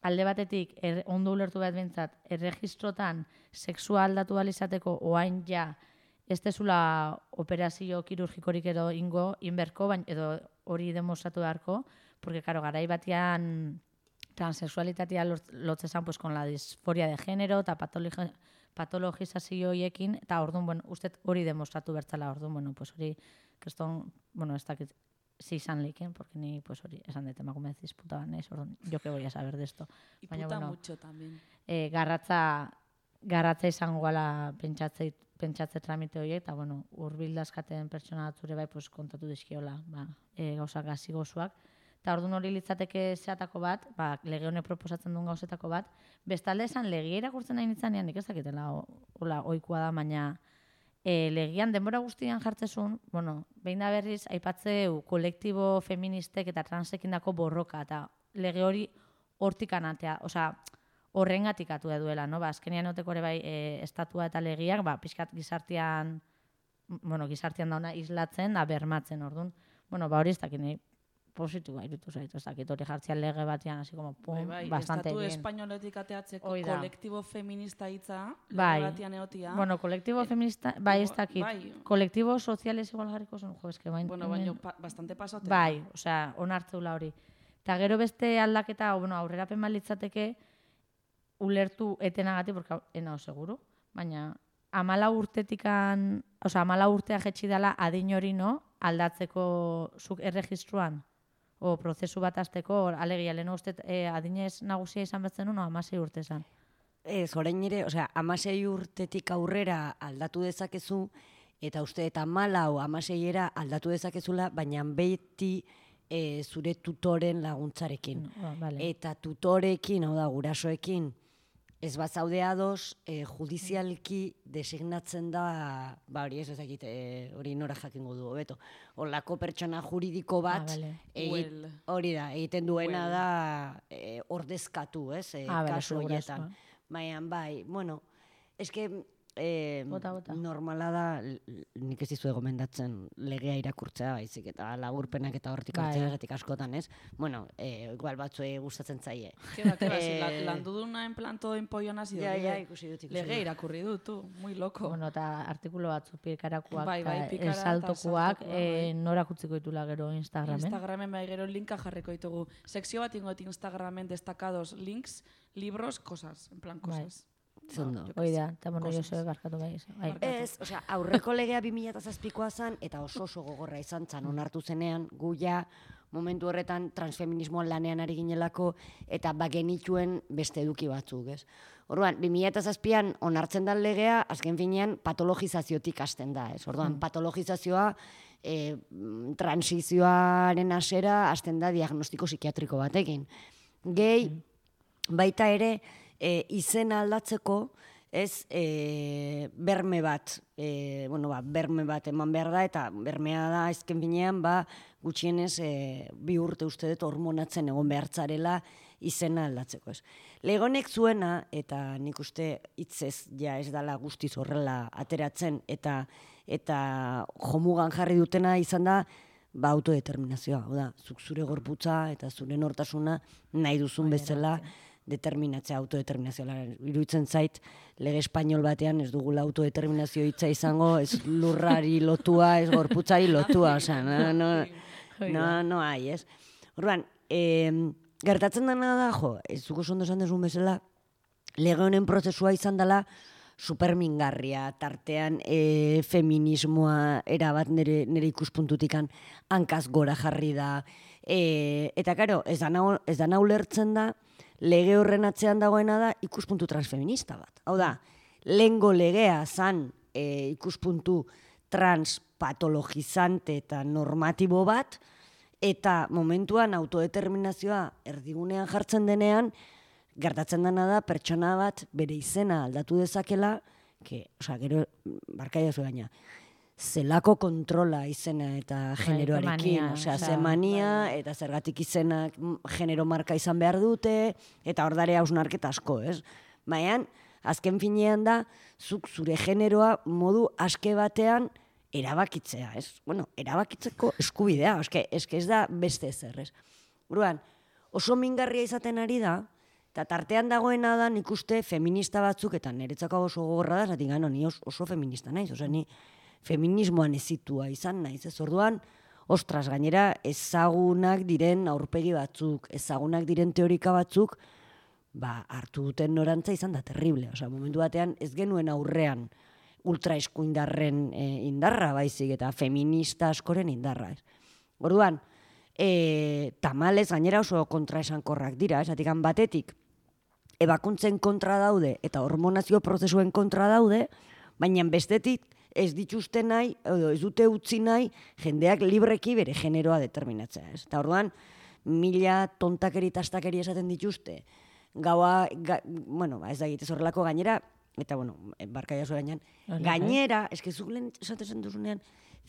alde batetik, er, ondo ulertu bat bintzat, erregistrotan sexua aldatu izateko oain ja, ez dezula operazio kirurgikorik edo ingo, inberko, baina edo hori demostratu beharko, porque, karo, garai batean transexualitatea lotzezan, pues, con la disforia de género eta patologi patologizazioiekin, eta orduan, bueno, uste hori demostratu bertzala, orduan, bueno, pues hori, keston, bueno, ez dakit, si izan leiken, porque ni, pues hori, esan dut, emakume disputa banez, orduan, jo que voy a saber de esto. Y baina, puta bueno, mucho también. Eh, garratza, garratza izango gala pentsatze, pentsatze tramite horiek, eta, bueno, urbildazkaten pertsona batzure bai, pues, kontatu dizkiola, ba, e, gauzak gazi gozuak. Eta orduan hori litzateke zeatako bat, ba, lege honek proposatzen duen gauzetako bat, bestalde esan legia irakurtzen nahi nintzanean, nik ez dakitela, hola, oikoa da, baina e, legian denbora guztian jartzezun, bueno, behin da berriz, aipatzeu kolektibo feministek eta transekindako borroka, eta lege hori hortik anatea, osea, horrengatik atu da duela, no? Ba, azkenean oteko ere bai e, estatua eta legiak, ba, pixkat gizartean, bueno, gizartean dauna islatzen, da bermatzen, orduan, bueno, ba, hori ez dakit nahi, positua irutu zaitu, ez dakit hori jartzian lege batean, así como, pum, bai, bai, bastante estatu bien. espainoletik ateatzeko Hoi da. kolektibo feminista hitza, lege Bai. batean egotia. Bueno, kolektibo feminista, bai, ez dakit. Bai. Kolektibo soziales igual jarriko zen, jo, eske bain. Bueno, baina pa, bastante pasote. Bai, osea, onartzeula hori. Eta gero beste aldaketa, bueno, aurrerapen balitzateke, ulertu etenagatik, porque enao seguru, baina amala urtetikan, osea, amala urtea jetxi dela adin hori, no, aldatzeko zuk erregistruan, o prozesu bat azteko, alegia, lehen uste e, adinez nagusia izan betzen no, amasei urte esan. Ez, orain ere, osea, amasei urtetik aurrera aldatu dezakezu, eta uste eta malau amaseiera aldatu dezakezula, baina beti e, zure tutoren laguntzarekin. No, vale. Eta tutorekin, hau da, gurasoekin, ez bat zaude ados, e, judizialki designatzen da, ba hori ez ezakit, e, hori nora jakingo du, beto. Olako pertsona juridiko bat, Ah, vale. egi- Well. hori da, egiten duena Well. da e, ordezkatu, ez, e, Ah, vale, kasu zure horietan. gurasoa. Baina, bai, bueno, eske eh, Bota, bota. normala da, l- nik ez dizue gomendatzen legea irakurtzea, baizik, eta laburpenak eta hortik Bai. hartzeagatik askotan, ez? Bueno, eh, igual batzuei gustatzen zaie. Keba, keba, Eh, si la, landu duna en plan todo empollon hasi Ja, dut, ja, eh. ikusi dut, ikusi Lege dut. irakurri dut, tu, muy loco. Bueno, eta artikulu batzu pikarakuak, Bai, bai, eta pikara eta esaltokuak, saltokuak, eh, bai. norak utziko ditula gero Instagramen. Instagramen bai gero linka jarriko ditugu. Sekzio bat ingo Instagramen destacados links, libros, cosas, en plan Bai. cosas. Zondo. yo qué Hoi sé, da, eta bueno, cosas. Josebe barkatu bai. bai. Barkatu. Ez, osea, aurreko legea bi mila zazpikoa zen, eta oso oso gogorra izan zen onartu zenean, gu ja momentu horretan transfeminismoan lanean ari ginelako, eta bagenituen beste eduki batzuk, ez? Orduan, bi mila zazpian onartzen da legea, azken finean patologizaziotik hasten da, ez? Orduan, patologizazioa, e, transizioaren hasera hasten da diagnostiko psikiatriko batekin. Gehi, baita ere, e, izena aldatzeko, ez, e, berme bat, e, bueno, ba, berme bat eman behar da, eta bermea da, ezken binean, ba, gutxienez, e, bi urte uste dut hormonatzen egon behartzarela, izena aldatzeko, ez. Legonek zuena, eta nik uste hitzez ja ez dala guztiz horrela ateratzen, eta eta jomugan jarri dutena izan da, ba, autodeterminazioa. Hau da, zuk zure gorputza eta zure nortasuna nahi duzun bezala determinatzea, autodeterminazioa. Iruditzen zait, lege espainol batean ez dugula autodeterminazio hitza izango, ez lurrari lotua, ez gorputzari lotua, osea, no, no, no, no hai, ez. Orduan, eh, gertatzen dena da, jo, ez zuko ondo esan dezun bezala, lege honen prozesua izan dela supermingarria, tartean e, feminismoa erabat nire, nire ikuspuntutikan hankaz gora jarri da. E, eta karo, ez da nau, ez da ulertzen da, lege horren atzean dagoena da ikuspuntu transfeminista bat. Hau da, lehengo legea zan e, ikuspuntu transpatologizante eta normatibo bat, eta momentuan autodeterminazioa erdigunean jartzen denean, gertatzen dena da pertsona bat bere izena aldatu dezakela, que, osea, gero, barkaia zu gaina, zelako kontrola izena eta generoarekin, osea, ze mania, eta zergatik izenak genero marka izan behar dute, eta hor dare hausnarketa asko, ez? Baina, azken finean da, zuk zure generoa modu aske batean erabakitzea, ez? Bueno, erabakitzeko eskubidea, eske, eske ez da beste ezer, ez? Buruan, oso mingarria izaten ari da, eta tartean dagoena da nik uste feminista batzuk, eta niretzako oso gogorra da, zatik gano, ni oso feminista naiz, osea, ni feminismoan ezitua izan naiz, ez orduan, ostras, gainera ezagunak diren aurpegi batzuk, ezagunak diren teorika batzuk, ba, hartu duten norantza izan da terrible, osea, momentu batean ez genuen aurrean ultraeskuindarren e, indarra baizik, eta feminista askoren indarra, ez. Orduan, e, tamalez gainera oso kontraesankorrak dira, esatikan batetik, ebakuntzen kontra daude eta hormonazio prozesuen kontra daude, baina bestetik ez dituzte nahi, edo ez dute utzi nahi, jendeak libreki bere generoa determinatzea. Ez? Eta orduan, mila tontakeri eta astakeri esaten dituzte, gaua, ga, bueno, ez da egitez horrelako gainera, eta bueno, barkaia zu gainean, gainera, eske zuk lehen esaten duzunean,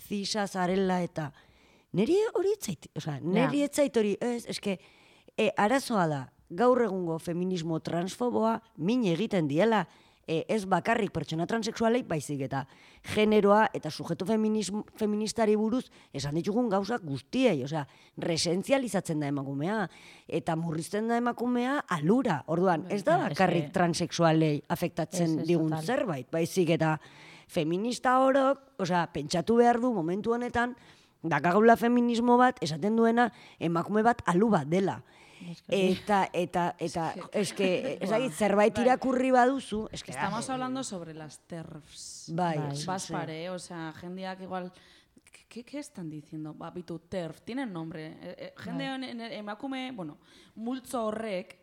zisa, zarela eta, niri hori etzait, oza, niri etzait hori, ez, eske, e, arazoa da, gaur egungo feminismo transfoboa min egiten diela, e, ez bakarrik pertsona transexualei baizik eta generoa eta sujeto feministari buruz esan ditugun gauzak guztiei, osea, resentzializatzen da emakumea eta murrizten da emakumea alura. Orduan, ez da bakarrik transexualei afektatzen digun zerbait, baizik eta feminista orok, osea, pentsatu behar du momentu honetan, dakagula feminismo bat esaten duena emakume bat alu bat dela. Eta, eta, eta, eske, ezagit, zerbait irakurri baduzu, eske... Estamos hablando sobre las TERFs. Bai, Baspare, o sea, jendeak igual... ¿Qué, ¿Qué están diciendo? Ba, bitu, TERF, tienen nombre. Eh, eh, jende honen, emakume, bueno, multzo horrek,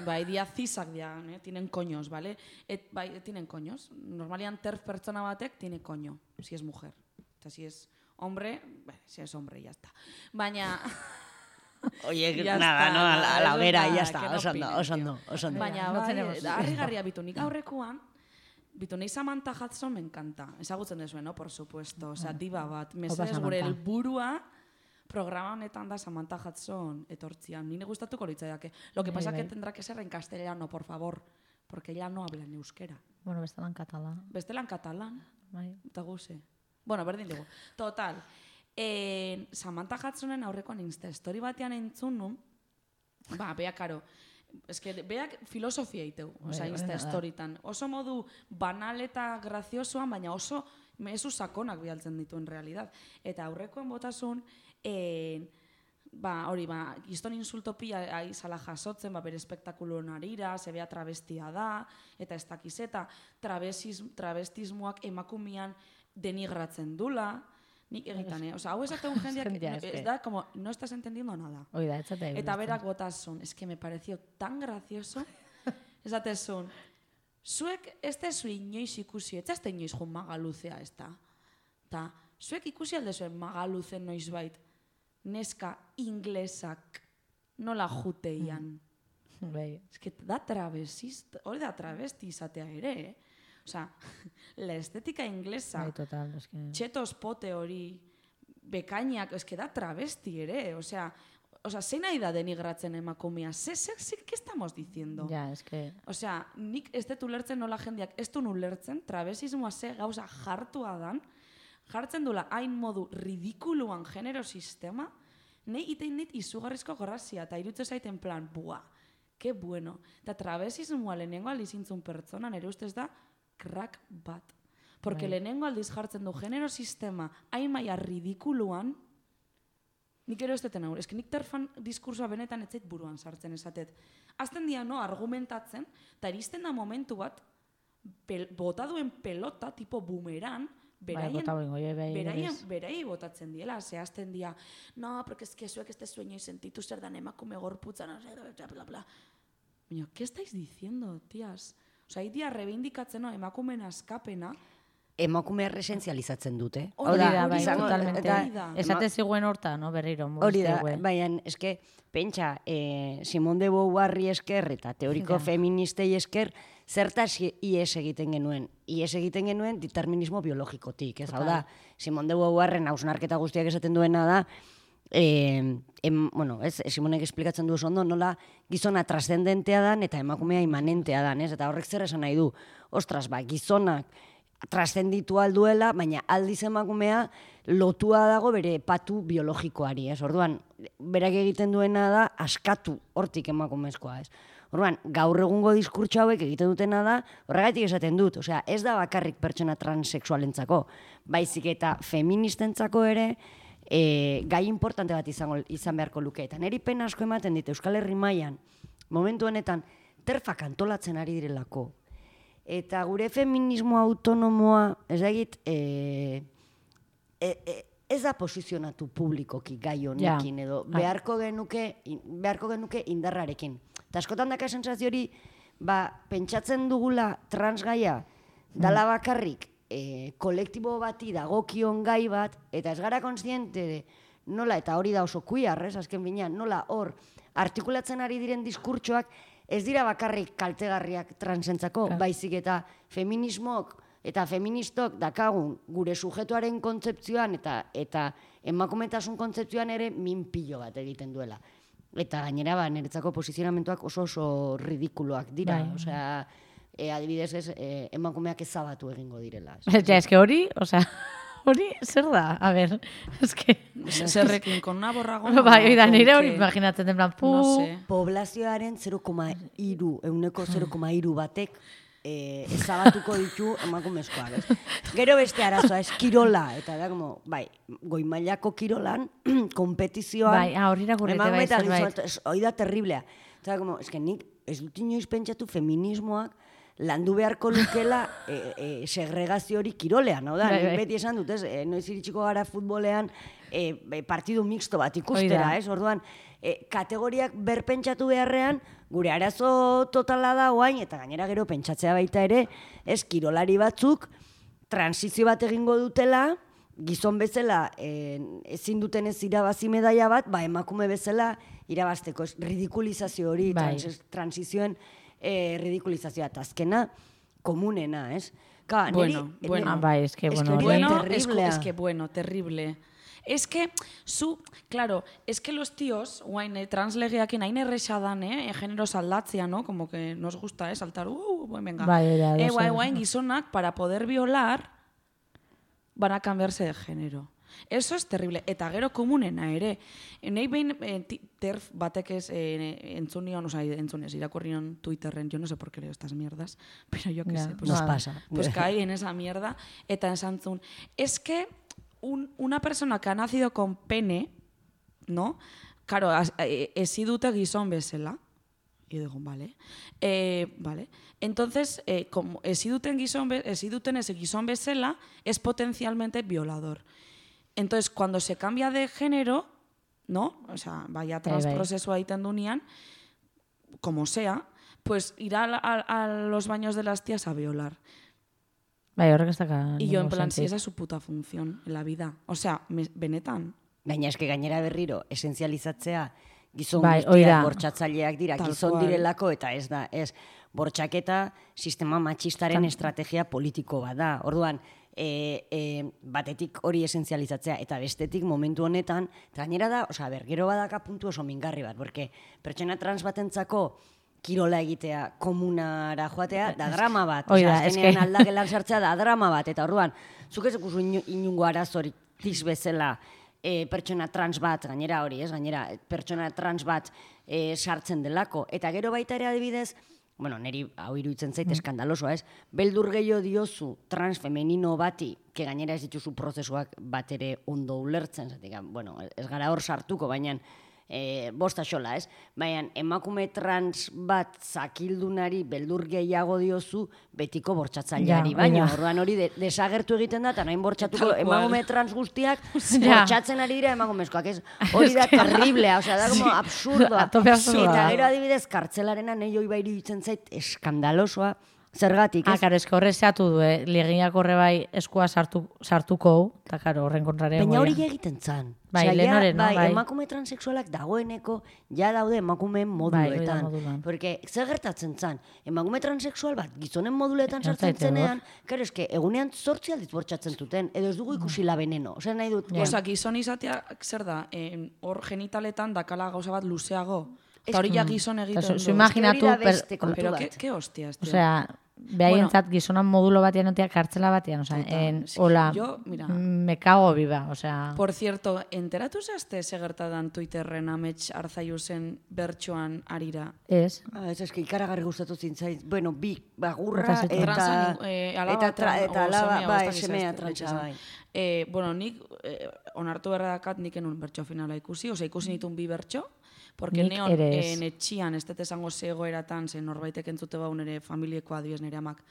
bai, dia zisak dia, eh, tienen coños, ¿vale? Et, bai, tienen coños. Normalian TERF pertsona batek tiene coño, si es mujer. Eta si es hombre, bueno, si es hombre, ya está. Baina... Oye, ya nada, está, no, a la, a la hoguera, ya está, no oso ondo, oso ondo, oso ondo. Baina, bai, harrigarria bitu, nik aurrekoan, bitu, nahi Samantha Hudson me encanta, ezagutzen dezuen, no, por supuesto, osea, diba bat, mesedez gure helburua programa honetan da Samantha Hudson etortzian, nire gustatuko litzaiake. Lo que pasa que tendrá que ser en castellano, por favor, porque ella no habla en euskera. Bueno, bestelan catalán. Bestelan catalán, Bai. eta guze. Bueno, berdin dugu. Total, Eh, Samantha Hudsonen aurrekoan Insta story batean entzun nun, ba, beak, karo, eske, beak filosofia iteu, oza, Insta storytan. Oso modu banal eta graziosoan, baina oso mezu sakonak bialtzen ditu en realidad. Eta aurrekoan botasun, eh, ba, hori, ba, gizton insultopia aizala jasotzen, ba, bere espektakulo narira, zebea travestia da, eta ez dakiz, eta travestismoak emakumian denigratzen dula, nik egitan, eh? Osa, hau esaten jendeak, ez da, como, no estás entendiendo nada. Oida, etzate. Eta berak botasun, es que me pareció tan gracioso, esatezun, zuek ez tezu inoiz ikusi, ez tezu inoiz jun magaluzea, ez da. Ta, zuek ikusi aldezuen magaluzen noiz bait, neska inglesak nola juteian. Bai. Ez que da travesista, hori da travesti izatea ere, eh? Osa, la estetika inglesa, Bai, total, eske... txetos pote hori, bekainak, eske da travesti ere, osea, o sea, zein nahi da denigratzen emakumea? Ze, ze, ze, ¿qué estamos diciendo? Ja, es que... O sea, nik ez dut ulertzen nola jendeak ez du ulertzen, travesismoa ze gauza jartua dan, jartzen dula hain modu ridikuluan genero sistema, nahi itein dit izugarrizko grazia, eta irutze zaiten plan, bua, que bueno. Eta travesismoa lehenengo aldiz intzun pertsona, nire ustez da, crack bat. Porque Bai. lehenengo aldiz jartzen du genero sistema hain maia ridikuluan, nik ero ez deten hau, eski nik terfan diskursoa benetan etzait buruan sartzen esatet. Azten dia, no, argumentatzen, eta iristen da momentu bat, pel, bota duen pelota, tipo boomerang, beraien, bota bengo, jo, bai, beraien, berez. berei botatzen diela, zehazten dia, no, porque es que zuek este sueño y sentitu zer dan emakume gorputzan, bla, bla, bla. Baina, ¿qué estáis diciendo, tías? Osa, idia rebindikatzen, no, emakumen askapena, Emakumea resenzializatzen dute. Hori Hori da, da, bai, izango- totalmente. hori da. Esate ziguen horta, no, berriro, Hori da, mugizte, baina, eske, pentsa, eh, Simone de Beauvoirri esker eta teoriko Ja. feministei esker, zertaz ies egiten genuen. Ies egiten genuen determinismo biologikotik, ez hau da, Simone de Beauvoirren hausnarketa guztiak esaten duena da, eh, em, bueno, ez, Simonek esplikatzen du oso ondo, nola gizona trascendentea dan eta emakumea imanentea dan, ez? Eta horrek zer esan nahi du, ostras, ba, gizonak trascenditu alduela, baina aldiz emakumea lotua dago bere patu biologikoari, ez? Orduan, berak egiten duena da askatu hortik emakumezkoa, ez? Orduan, gaur egungo diskurtso hauek egiten dutena da, horregatik esaten dut, osea, ez da bakarrik pertsona transexualentzako, baizik eta feministentzako ere, e, gai importante bat izango, izan beharko luke. Eta niri pena asko ematen dit Euskal Herri mailan, momentu honetan, terfak antolatzen ari direlako. Eta gure feminismo autonomoa, ez da egit, e, e, e, ez da posizionatu publikoki gai honekin, Ja. edo beharko genuke, beharko genuke indarrarekin. Eta askotan daka sentsazio hori, ba, pentsatzen dugula transgaia, dala bakarrik, e, kolektibo bati dagokion gai bat, eta ez gara kontziente de, nola, eta hori da oso kuiarrez, azken binean, nola hor, artikulatzen ari diren diskurtsoak, ez dira bakarrik kaltegarriak transentzako, baizik eta feminismok eta feministok dakagun gure sujetuaren kontzeptzioan eta eta emakumetasun kontzeptzioan ere minpilo bat egiten duela. Eta gainera, ba, niretzako posizionamentuak oso oso ridikuloak dira. Bai. Osea, e, adibidez ez, e, emakumeak ezabatu egingo direla. Ja, eske hori, osea, hori zer da? A ber, eske... zerrekin, con una borragona. Bai, oida, nire con hori que- imaginatzen den plan, pu... No sé. Poblazioaren zero koma hiru, euneko zero koma hiru batek eh, ezabatuko ditu emakumezkoak. Ez? Gero beste arazoa, ez kirola, eta da, como, bai, goi mailako kirolan, kompetizioan, Bai, ah, hori irakurrite bai, emakume eta zerbait. gizon, ez, hori da terriblea. Eta, como, ez que nik, ez dut inoiz pentsatu feminismoak landu beharko lukela e, e, segregazio hori kirolean, hau da, Bai, nik bai. beti esan dut, ez, e, noiz iritsiko gara futbolean e, e, partidu mixto bat Hori ikustera, da. ez, orduan, e, kategoriak berpentsatu beharrean, gure arazo totala da oain, eta gainera gero pentsatzea baita ere, ez, kirolari batzuk, transizio bat egingo dutela, gizon bezala e, ezin duten ez irabazi medaia bat, ba, emakume bezala irabazteko, ez, ridikulizazio hori, Bai. trans, transizioen e, ridikulizazioa, eta azkena, komunena, ez? Ka, Bueno, niri- bueno. Ah, bai, eske, Es que bueno, hori hori... da Bueno, es, terriblea. es que bueno, terrible. Es que, zu, claro, es que los tíos, guain, eh, translegeakin hain erresa dan, eh, generos aldatzea, ¿no? Como que nos gusta, eh, saltar, uh, bueno, venga. Bai, hori da, eh, oso- guain, guain, gizonak, para poder violar, van a cambiarse de género. Eso es terrible. Eta gero komunena ere. Nei behin eh, ti- terf batek ez eh, entzun nion, oza, entzun ez, irakurri nion Twitterren, yo no sé por qué leo estas mierdas, pero yo qué Ya, sé. Pues, Nos Vale. pasa. pues caí en esa mierda, eta esan zun, es que un, una persona que ha nacido con pene, ¿no? Claro, has- eh, ezi dute gizon bezala. Y digo, vale. Eh, vale. Entonces, eh, como ezi duten gizon, be- ezi duten ese gizon bezala, es potencialmente violador. Entonces, cuando se cambia de género, ¿no? O sea, vaya Bai, bai. transproceso egiten dunean, como sea, pues irá a, a- a los baños de las tías a violar. Bai, horrek ez daka... Y yo en ningún plan, si sentido. esa es su puta función en la vida. O sea, me, benetan. Gaina eske gainera berriro esenzializatzea gizon Bai, hori da. guztiak bortxatzaileak dira, Tal gizon cual. direlako eta ez da, ez bortxaketa sistema matxistaren estrategia politiko bat da. Orduan, e, e, batetik hori esentzializatzea, eta bestetik momentu honetan, eta gainera da, osea, ber, gero badaka puntu oso mingarri bat, porque pertsona trans batentzako kirola egitea, komunara joatea, da drama bat. Oida, Osea, eske. azkenean aldagelan sartzea da drama bat, eta orduan, zuk ez ikusu inu- inungo arazorik tiz bezala e, pertsona trans bat, gainera hori, ez, gainera pertsona trans bat e, sartzen delako. Eta gero baita ere adibidez, bueno, niri hau iruditzen zait eskandalosoa, ez? Beldur gehiago diozu trans femenino bati, que gainera ez dituzu prozesuak bat ere ondo ulertzen, zatik, bueno, ez gara hor sartuko, baina e, bosta xola, ez? Baina emakume trans bat zakildunari beldur gehiago diozu betiko bortxatzaileari, Ja, baina oida. orduan hori de, desagertu egiten da, eta nahin bortxatuko Tal cual. emakume trans guztiak Ja. bortxatzen ari dira emakumezkoak, ez? Hori da terriblea, osea, da como absurdoa. A tope absurdoa. Eta gero adibidez, kartzelarena nahi hoi bai iruditzen zait eskandalosoa, zergatik, Ah, ez? karo, eske horre zehatu du, eh? Legiak horre bai eskua sartu, sartuko, eta karo, horren kontrare. Baina hori goia. egiten zan. Bai, Osea, lehen ja, hori, no? bai, Bai. emakume transexualak dagoeneko ja daude emakumeen moduletan. Bai, hori da modulan. Porque zer gertatzen zan, emakume transexual bat gizonen moduletan Ja, sartzen zaite hor. zenean, karo, eske, egunean zortzi aldiz bortxatzen zuten, edo ez dugu ikusi la veneno. Osea, nahi dut, Ja. Osa, gizon izatea, zer da, eh, hor genitaletan dakala gauza bat luzeago. Ez- Eta hori ja gizon Eta egiten zu- du. zu imaginatu, hori da per- beste kontu Pero, bat. ke, ke hostias, tío. Osea, behaientzat gizonan modulo batean otea kartzela batean, osea, Total. en, Es que hola, yo, mira. me cago viva, osea. Por cierto, enteratu zazte segertadan Twitterren amets arzaiuzen bertsoan arira? Ez, Ah, ez eske ikaragarri gustatu zintzait. Bueno, bi bagurra Eta eta zetu. Transa, eh, alaba eta tra, eta- eta o alaba, semea, bai, ez dakit semea zehazte, trantsa, esan. bai. Eh, bueno, nik eh, onartu berra dakat nik enun bertso finala ikusi, osea ikusi nitun bi bertso, porque Nik neon ere eh, ez. netxian ez dut esango zegoeratan, zen norbaitek entzute bau nire familieko adibidez nire amak.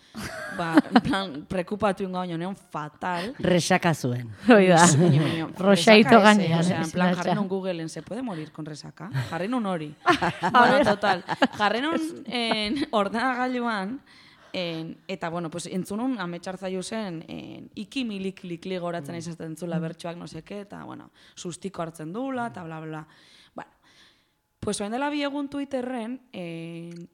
Ba, en plan, prekupatu ingo baino, neon fatal. Resaka zuen. hoi da. Baina, baina, Rosaito resaca ese, gainean, O sea, ez, en plan, latxa. jarri nun Googleen, ¿se puede morir con resaca? Jarri nun hori. Bueno, total. Jarri nun en, ordenagailuan, en, eta, bueno, pues, entzunun ametxartzaiu zen, en, iki milik likli goratzen mm. izaten zula bertsoak, no seke, eta, bueno, sustiko hartzen dula, eta bla, bla. Bueno, pues, oen dela bi egun Twitterren, en,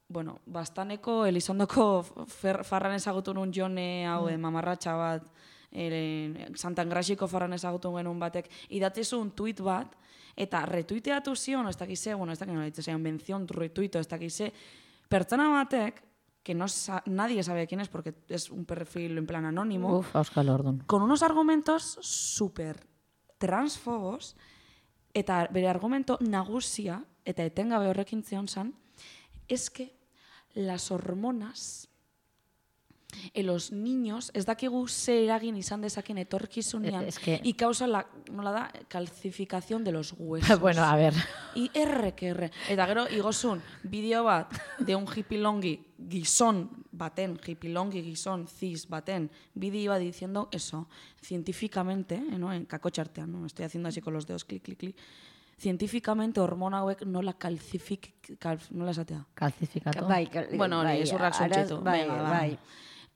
bueno, bastaneko Elizondoko fer, farran ezagutu nun jone hau, mm. mamarratxa bat, ere, Santan Grasiko farran ezagutu genuen batek, idatizun tweet bat, eta retuiteatu zion, ez dakize, bueno, ez dakize, nola ditze, mención, retuito, ez dakize, pertsona batek, que no sa nadie sabe quién es porque es un perfil en plan anónimo, Uf, Euskal Ordun. con unos argumentos súper transfobos, eta bere argumento nagusia, eta etengabe horrekin zion zan, es que las hormonas en los niños ez dakigu ze eragin izan dezaken etorkizunean Es que- y causa la, nola da, calcificación de los huesos. Bueno, a ver. I erre, que erre. Eta gero, igozun, bideo bat, de un hippilongi gizon baten, hippilongi gizon cis baten, bideo bat diciendo eso, científicamente, eh, ¿no? En kakotxartean, ¿no? Estoy haciendo así con los dedos, clic, clic, clic. Científicamente, hormona hauek nola calcific... Cal, nola esatea? Kalzifikatu. Bai, kal- Bueno, hori, bai, ezurrak araz- zuntxitu. Bai, Venga, va. bai.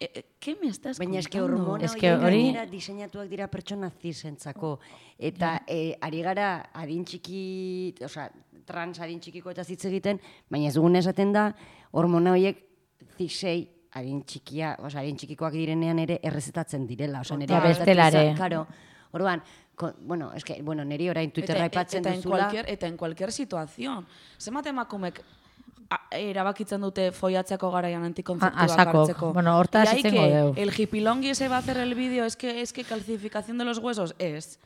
Eh, eh, ¿Qué me estás Baina eske contando? hormona Eske horiek hori- gainera diseinatuak dira pertsona zisentzako. Eta eh, ari gara adin txiki, osea, trans adin txikiko eta hitz egiten, baina ez dugun esaten da hormona horiek zisei adin txikia, osea, adin txikikoak direnean ere errezetatzen direla. Osea, nire Ja, bestelare. Claro. Orduan, ko, bueno, eske, bueno, niri orain Twitterra Eta- aipatzen eta en duzula. cualquier, eta en cualquier situación. Zenbat emakumek a- erabakitzen dute foiatzeko garaian A- antikontzeptiboak asakok. hartzeko. Bueno, hortaz Y hay hitz egingo que, deu. el hippilongi ese va a hacer el vídeo, es que, es que calcificación de los huesos es.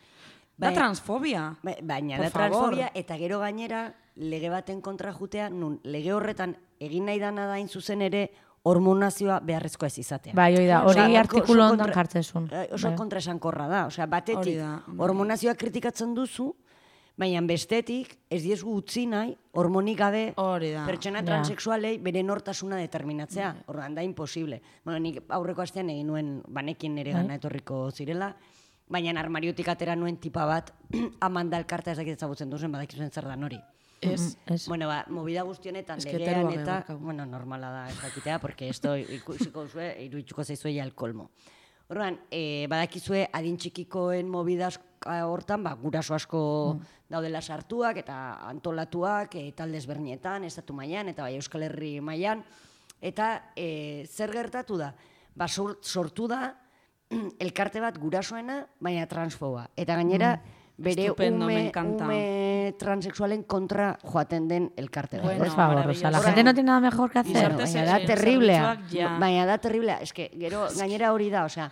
Da Bai. transfobia. Ba- Baina Por da favor. transfobia eta gero gainera lege baten kontra jutea, nun lege horretan egin nahi dana da hain zuzen ere hormonazioa beharrezkoa ez izatea. Bai, hoi da, hori Osea, artikulu oso ondan kontra- jartzezun. eh, Oso Bai. kontraesankorra da, osea, batetik Hori da, bai. hormonazioa kritikatzen duzu, baina bestetik ez diezu utzi nahi hormonik gabe Hori da. pertsona Ja. transexualei bere nortasuna determinatzea. Orduan da imposible. Bueno, nik aurreko astean egin nuen banekin nire gana etorriko zirela, baina armariotik atera nuen tipa bat Amanda Elkarta ez dakit ezagutzen duzen badakizuen zer dan hori. Ez. Ez. Bueno, ba, movida guzti honetan Es que legean terua eta, gebarkau. bueno, normala da ez dakitea, porque esto ikusiko zue, iruitzuko zaizue ja el colmo. Orduan, eh, badakizue adin txikikoen mobidas hortan, ba, guraso asko daudela sartuak eta antolatuak, e, talde ezberdinetan, estatu mailan eta bai Euskal Herri mailan, eta e, zer gertatu da? Ba, sor- sortu da elkarte bat gurasoena, baina transfoba. Eta gainera, bere Estupendo, me ume, encanta. ume transexualen kontra joaten den elkarte bat. Bueno, ez? Por favor, o sea, la maravilloso. gente no tiene nada mejor que hacer. Bueno, Gizarte baina da ze- terriblea. zerbitzuak, ja. Baina da terriblea. Ez que, gero, gainera hori da, osea,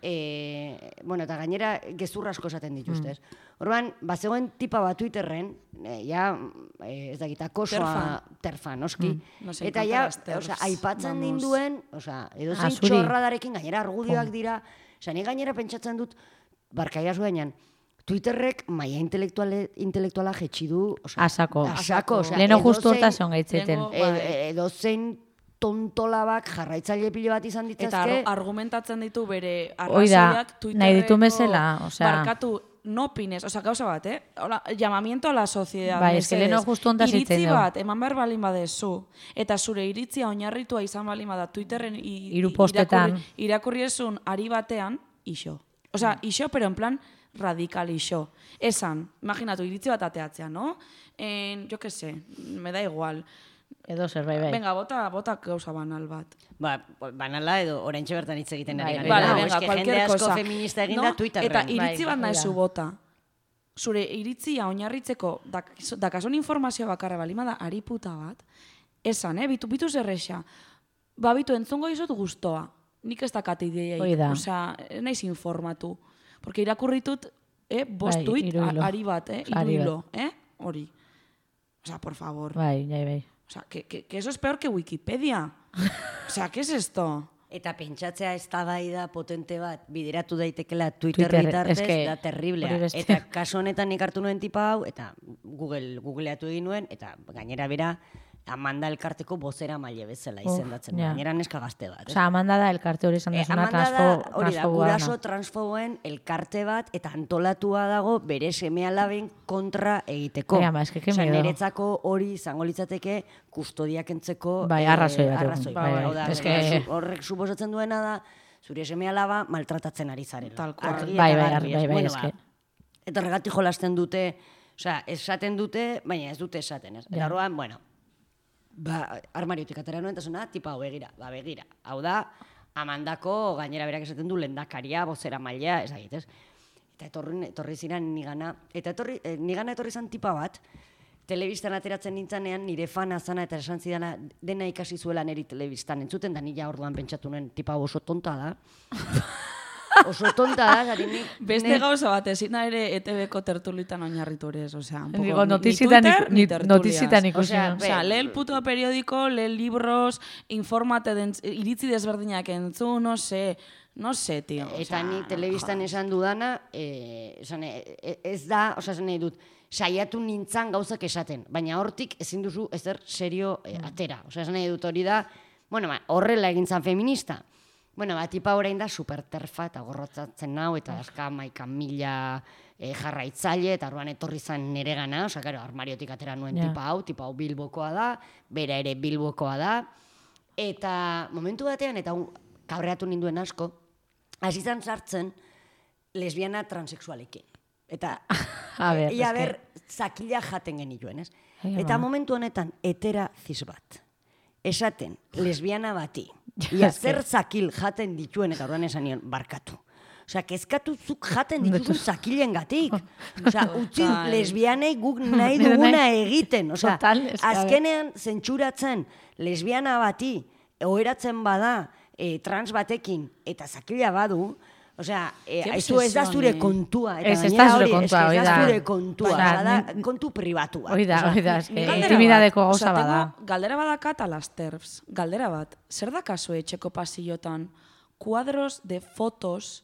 e, bueno, eta gainera gezurra asko esaten dituzte, ez? Orduan, bazegoen tipa bat Twitterren, e, ja, e, ez dakit, akosoa, Terfa. terfa, noski. Nos Eta encantan ja, las terfs, osea, aipatzen vamos. ninduen, osea, edozein Azuri. txorradarekin, gainera argudioak dira, osea, ni gainera pentsatzen dut, barkaia zuenean, Twitterrek maia intelektuale, intelektuala jetxi du, osea, Asako. asako, osea, Leheno justu edozein- hortaz egon gaitzeten. Lehengo- e, Bai. e, edozein tontolabak jarraitzaile pilo bat izan Eta ditzazke. ar- argumentatzen ditu bere Hoi da, arrazoiak Twitterreko... nahi ditu bezala, osea- Barkatu, no opines, osea, gauza bat, eh? Hola, llamamiento a la sociedad. Bai, eske mesedez. leheno justu hontaz hitz egin Iritzi dugu. bat, eman behar balin badezu, eta zure iritzia oinarritua izan balin bada Twitterren i- Hiru i- postetan. irakurri, irakurri esun ari batean, iso. Osea, iso, pero en plan radical iso. Esan, imaginatu, iritzi bat ateatzea, no? En, yo que sé, me da igual. Edo zer, bai, bai. Venga, bota, bota gauza banal bat. Ba, banala edo oraintxe bertan hitz egiten ari Bai, gara. Vale, Vale, No, venga, eske cualquier jende asko cosa. feminista egin No? da Twitterren. Eta iritzi Bai, bat nahi hori zu da. bota. Zure iritzia oinarritzeko dak- dakasun informazioa bakarra balima da ari puta bat, esan, eh, bitu, bitu zerrexa. Ba, bitu, entzungo izut gustoa. Nik ez dakat ideiaik. Hoi da. Osea, ez naiz informatu. Porque irakurritut, eh, bost Bai, tuit, hiru hilo. a- ari bat, eh, hiru Ari bat. hilo, eh, hori. Osea, por favor. Bai, bai, bai. O sea, que, que, que eso es peor que Wikipedia. O sea, ¿qué es esto? Eta pentsatzea eztabaida potente bat bideratu daitekela Twitter Twitter, bitartez eske, da terriblea. hori beste. Eta kasu honetan nik hartu nuen tipa hau, eta Google, Googleatu egin nuen, eta gainera bera Amanda elkarteko bozera maile bezala izendatzen. ja. Gainera neska gazte bat. ez? Osea, Amanda da elkarte hori esan Eh, dezuna, Amanda da, transfo, hori da, transfoboa guraso dana. transfoboen elkarte bat, eta antolatua dago bere seme-alaben kontra egiteko. Bai, ama, eske que Osea, miedo. niretzako hori izango litzateke kustodiak entzeko Bai, eh, arrazoi bat, arrazoi bai, bai. Hau da, Eske- zu- horrek suposatzen duena da, zure seme-alaba maltratatzen ari zarela. Tal cual. Argi eta Bai, bai, garbi, bai, ez? bai, Bueno, eske. ba, eta horregatik jolasten dute, osea, esaten dute, baina ez dute esaten, ez? Eta Ja. orduan, bueno, ba, armariotik atera nuen, eta zuna, tipa, hau begira, ba, begira. Hau da, Amandako, gainera berak esaten du, lehendakaria, bozera maila, ez dakit, ez? Eta etorri, etorri ziren nigana, eta etorri, eh, nigana etorri zan tipa bat, telebistan ateratzen nintzanean, nire fana zana eta esan zidana dena ikasi zuela niri telebistan entzuten, da nila orduan pentsatu nuen tipa hau oso tonta da. Oso tonta da, zari nik... Beste ne- gauza bat, ezin ere E T Bko tertulitan oinarritu ere, osea, un poco, Digo, ni- notizitan ni iku- Twitter, ni ni- tertulias. notizitan ikusi. Osea, no? O sea, Be- lee el puto periódico, lee libros, informate, den, iritzi desberdinak entzu, no sé, no sé, tío. o Eta sea, ni telebistan esan dudana, eh, esan, eh, ez da, osea, esan nahi dut, saiatu nintzan gauzak esaten, baina hortik ezin duzu ezer serio eh, atera. Osea, esan nahi dut hori da, bueno, ba, horrela egin zan feminista. Bueno, ba, tipa orain da superterfa eta gorrotzatzen nau, eta aska maika mila eh, jarraitzaile, eta orduan etorri zan nire gana, osea, karo, armariotik atera nuen Ja. tipa hau, tipa hau Bilbokoa da, bera ere Bilbokoa da, eta momentu batean, eta un- kabreatu ninduen asko, hasi zan sartzen lesbiana transexualekin. Eta, A ber, ia eske- ber, zakila jaten genituen, ez? Ai, Eta ama. momentu honetan, etera ziz bat. Esaten, lesbiana bati, ia eske- zer zakil jaten dituen, eta orduan esan nion, barkatu. Osea, kezkatu zuk jaten dituzun zakilen gatik. Osea, utzi Total. lesbianei guk nahi Nire duguna nahi- egiten. Osea, Total, eske, a ber. azkenean zentsuratzen lesbiana bati, oheratzen bada eh, trans batekin, eta zakila badu, osea, eh, Qué aizu ez da obsesión, zure eh. kontua. Eta Ez, ez gainera da zure hori, kontua, eske hori ez da da. zure kontua. Osea, Osea, da ni- kontu pribatua. Hori da, Osea, hori da, eske, Ni galdera intimidadeko bat, gauza osea, bada. tengo Galdera badakat a las terfs. Galdera bat, zer dakazu etxeko pasillotan cuadros de fotos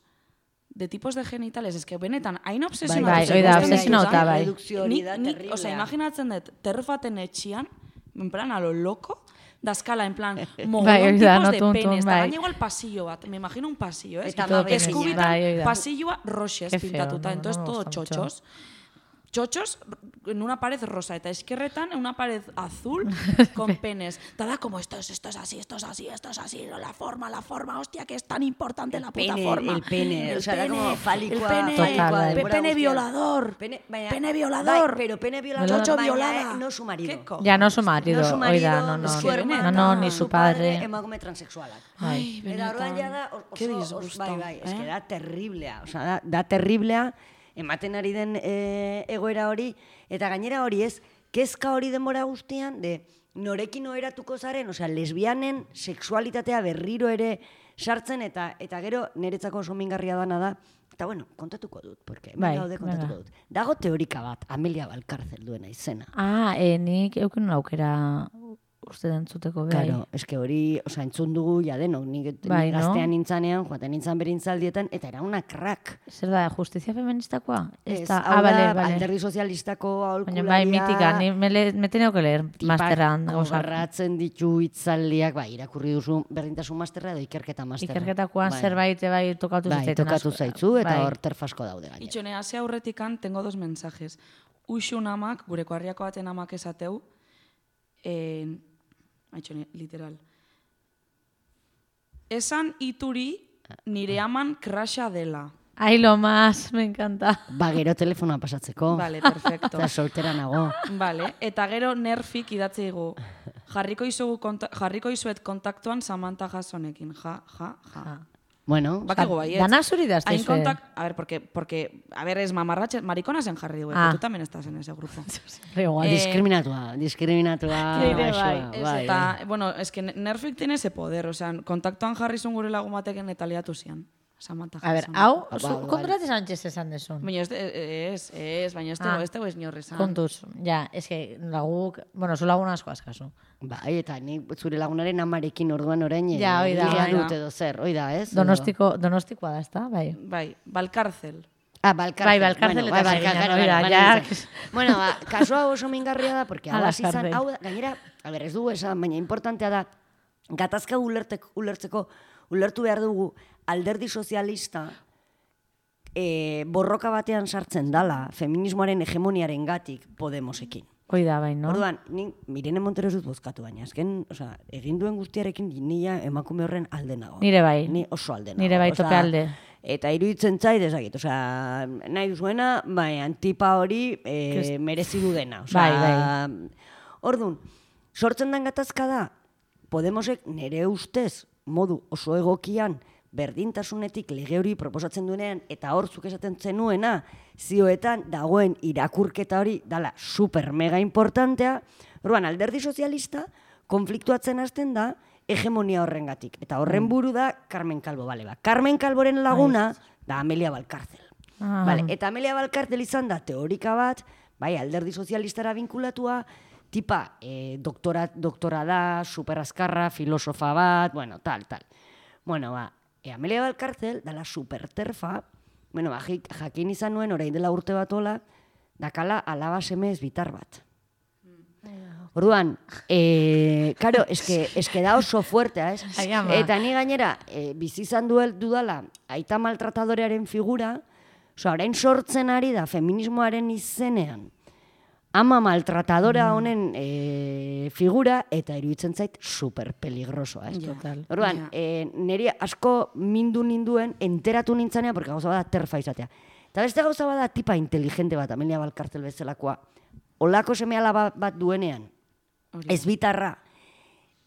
de tipos de genitales? Es que benetan, hain obsesionatu. bai, zen hori da, guzti obsesionauta, honetan. bai. Redukzio hori Nik- da nik, terriblea. Osea, imaginatzen dut, terf baten etxian, en plan, a lo loco, daskala, en plan, Bai, mogollon hori da, tipos no de tuntun, penes, eta bai. gaina igual pasillo bat, me imagino un pasillo, ¿eh? Eta todo amabe pequeño, Eskubitan, bai, hori da. pasilloa roxez Qué feo, pintatuta, no, no entonces me todo gusta mucho. txotxos. chochos en una pared rosa eta eskerretan en una pared azul con penes. Ta da como esto es, esto es así, esto es así, esto es así, la forma, la forma, hostia, que es tan importante la puta Pene, forma. el pene, El o sea, da pene, como fálicoa, el pene, fálicoa, Total, denbora pene guztian. violador, Pene, baina, pene violador, bai, pero pene violador, chocho baina violada. no su marido. ¿Qué cojones? Ya no su marido, No su marido, oida, no, no, su no, hermana, no, no, ni su padre. emakume transexualak. Ai, Eta orduan benetan. ja da, oso, Qué oso, disgusto, bai, bai, eske eh? da terriblea, osea, da, da terriblea, ematen ari den e, egoera hori, eta gainera hori ez, kezka hori denbora guztian, de norekin oheratuko zaren, osea, lesbianen sexualitatea berriro ere sartzen, eta eta gero niretzako oso mingarria dana da, eta bueno, kontatuko dut, porque hemen Bai, gaude kontatuko venga. dut. Dago teorika bat, Amelia Valcárcel duena izena. Ah, e, nik euken aukera uste dentzuteko behar. Claro, eske hori, osea, entzun dugu ja denok, nik Bai, ni no? gaztean nintzanean, joaten nintzan berintzaldietan, eta era una crack. Zer da, justizia feministakoa? Ez Ez, da, hau ah, bale, da, bale. alderdi sozialistako aholkularia. Baina bai, mitika, ni me, le, me teneo que leer masterran. Tipak gogarratzen ditu hitzaldiak, bai, irakurri duzu berdintasun masterra edo ikerketa masterra. Ikerketakoan Bai. zerbait bai tokatu Bai, zitzaiten tokatu asko. zaitzu, eta Bai. hor terfasko daude gainera. Itxone, hasi aurretikan, tengo dos mensajes. Uxun amak, gure koarriako baten amak esateu, eh, Aitxone, literal. Esan ituri nire aman krasha dela. Ai, lo más, me encanta. Ba, gero telefonoa pasatzeko. Vale, perfecto. Eta soltera nago. Vale, eta gero nerfik idatzi digu. Jarriko izugu konta, jarriko izuet kontaktuan Samantha Jasonekin. Ja, ja, ja. Ja. Bueno, Bakigu baiet. Dana zuri da, Hain ez kontak, a ver, porque, porque, a ver, es mamarratxe, maricona zen jarri dugu, Ah. tú también estás en ese grupo. Igual. Eh, diskriminatua, diskriminatua. Nire gaixoa, bai. Ez, bai. eta, bueno, es que Nerfik tiene ese poder, o sea, kontaktuan jarri zuen gure lagun batekin eta liatu zian. Samantha A ver, Jason. hau, Ba, zu, ba, konturate Sánchez esan desun. Baina ez, ez, ez, baina ez Ah. tego, ez tego ez inorrezan. Kontuz, ja, ez que laguk, bueno, zu lagun asko askazu. Bai, eta ni zure lagunaren amarekin orduan orain Ja, hoi da, liga bai. dut edo zer, hoi da, ez? Donostiko, donostikoa da, ezta? Bai. Bai, Balkarzel. Ah, Balkarcel. Bai, Balkarcel eta bai, Sarriñan, Balkarcel, hori da, bai, ja. nintzen. Bueno, ba, kasua oso mingarria da, porque hau Ala, hasi izan, Sarri. hau da, gainera, a ber, ez dugu esan, baina importantea da, gatazka ulertek, ulertzeko, ulertu behar dugu, alderdi sozialista, e, borroka batean sartzen dala, feminismoaren hegemoniaren gatik Podemosekin. Hoi da, bai, no? Orduan, ni Mirene Montero ez dut bozkatu baina, azken, osea, egin duen guztiarekin nila emakume horren alde nago. Nire bai. Ni oso alde nago. Nire bai osea, tope alde. Eta iruditzen zait, ezagit, osea, nahi duzuena, baina tipa hori e, Kes- merezi du dena. Osea, Bai, bai. Orduan, sortzen den gatazka da, Podemosek nire ustez, modu oso egokian, berdintasunetik lege hori proposatzen duenean, eta hor zuk esaten zenuena, zioetan dagoen irakurketa hori dala super mega importantea. Orduan, alderdi sozialista konfliktuatzen hasten da hegemonia horrengatik. Eta horren buru da Carmen Calvo, bale ba. Carmen Calvoren laguna da Amelia Valcárcel. Ah. Vale, eta Amelia Valcárcel izan da teorika bat, bai, alderdi sozialistara vinkulatua, tipa eh, doktora, doktora da, superazkarra, filosofa bat, bueno, tal, tal. Bueno, ba, e, Amelia Valcárcel dala superterfa, bueno, ba, jak- jakin izan nuen orain dela urte bat hola, dakala alaba semez bitar bat. Orduan, eh, karo, eske, eske da oso fuertea, ez? Ai, ama. Eta ni gainera, eh, bizi izan duel dudala, aita maltratadorearen figura, osea, orain sortzen ari da feminismoaren izenean, ama maltratadora honen eh, figura, eta iruditzen zait super peligrosoa, ez? Total. Orduan, Ja. eh, niri asko mindu ninduen, enteratu nintzanea, porque gauza bada terfa izatea. Eta beste gauza bada tipa inteligente bat, Amelia Valcárcel bezalakoa, olako seme alaba bat duenean, Hori. ez bitarra,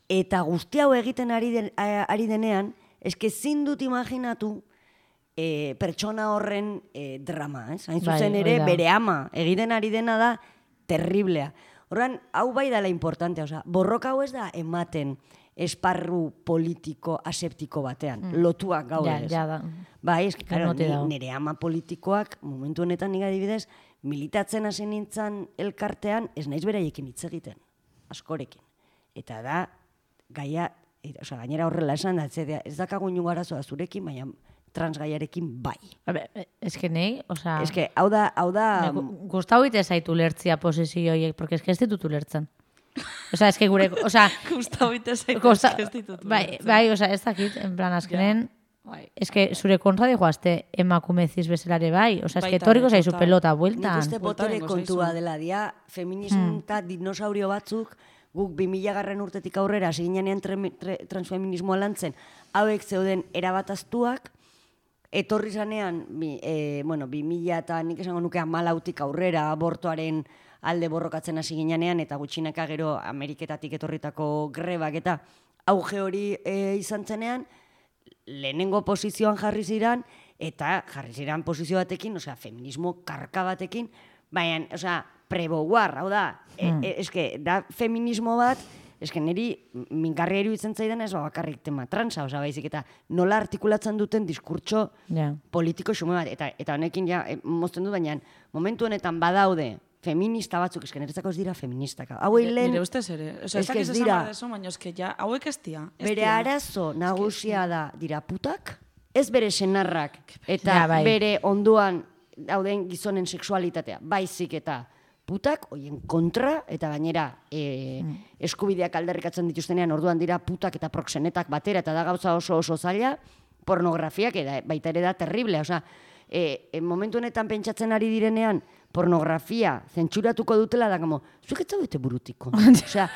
eta guzti hau egiten ari, den, a- ari denean, eske ezin dut imaginatu e, pertsona horren e, drama, ez? Hain Bai, zuzen hori ere, da. bere ama, egiten ari dena da, terriblea. Horren, hau bai dela importantea, osea, borroka hau ez da ematen esparru politiko aseptiko batean, lotuak gaude, Ja, ez? ja da. Bai, eski, claro, Denoti ni, dago. nire ama politikoak, momentu honetan nik adibidez, militatzen hasi nintzen elkartean, ez naiz beraiekin hitz egiten, askorekin. Eta da, gaia, eta, osea, gainera horrela esan da, ez, ez dakagu inungo arazoa zurekin, baina transgaiarekin bai. A ber, ez que nei, osea... Ez que, hau da, hau da, Gustau ite zaitu lertzia posizio horiek, porque es que ez ditut ulertzen. Osea, es que gure, osea, Gustavo ite zaitu Kosta, ez ditut. bai, ulertzen. bai, osea, ez dakit, en plan, azkenen, Es que zure kontra dijoazte emakume ziz bezalare bai. Osa, es que Baita, etorriko zaizu total. pelota Nik bueltan. uste botere Bueltaren kontua gozaizu. dela dia, feminismo eta dinosaurio batzuk, guk bi mila garren urtetik aurrera, hasi ginean transfeminismoa lantzen, hauek zeuden erabataztuak, etorri zanean, bi, e, bueno, bi mila eta nik esango nuke hamalautik aurrera, abortoaren alde borrokatzen hasi ginean, eta gutxinaka gero Ameriketatik etorritako grebak eta auge hori e, izan zenean, lehenengo posizioan jarri ziran, eta jarri ziran posizio batekin, osea, feminismo karka batekin, baina, osea, pre-war, hau da, mm. e, eske, da feminismo bat, eske niri mingarria iruditzen zaidan ez bakarrik tema transa, osea, baizik, eta nola artikulatzen duten diskurtso Ja. politiko xume bat, eta, eta honekin ja, e, mozten du, baina momentu honetan badaude, feminista batzuk, eske niretzako ez dira feministak. Hauei lehen, Nire ustez ere. Osa, ez eske dakiz ez esan dira. behar dezu, baina eske ja, hauek ez dira. ez bere dira. arazo nagusia da dira putak, ez bere senarrak, eta Ja, bai. bere onduan dauden gizonen sexualitatea, baizik eta putak, hoien kontra, eta gainera e, eskubideak aldarrikatzen dituztenean, orduan dira putak eta proxenetak batera, eta da gauza oso oso zaila, pornografiak, eta baita ere da terrible, osea, e, e, momentu honetan pentsatzen ari direnean, pornografia zentsuratuko dutela da, como, zuek ez zaudete burutiko. Osea,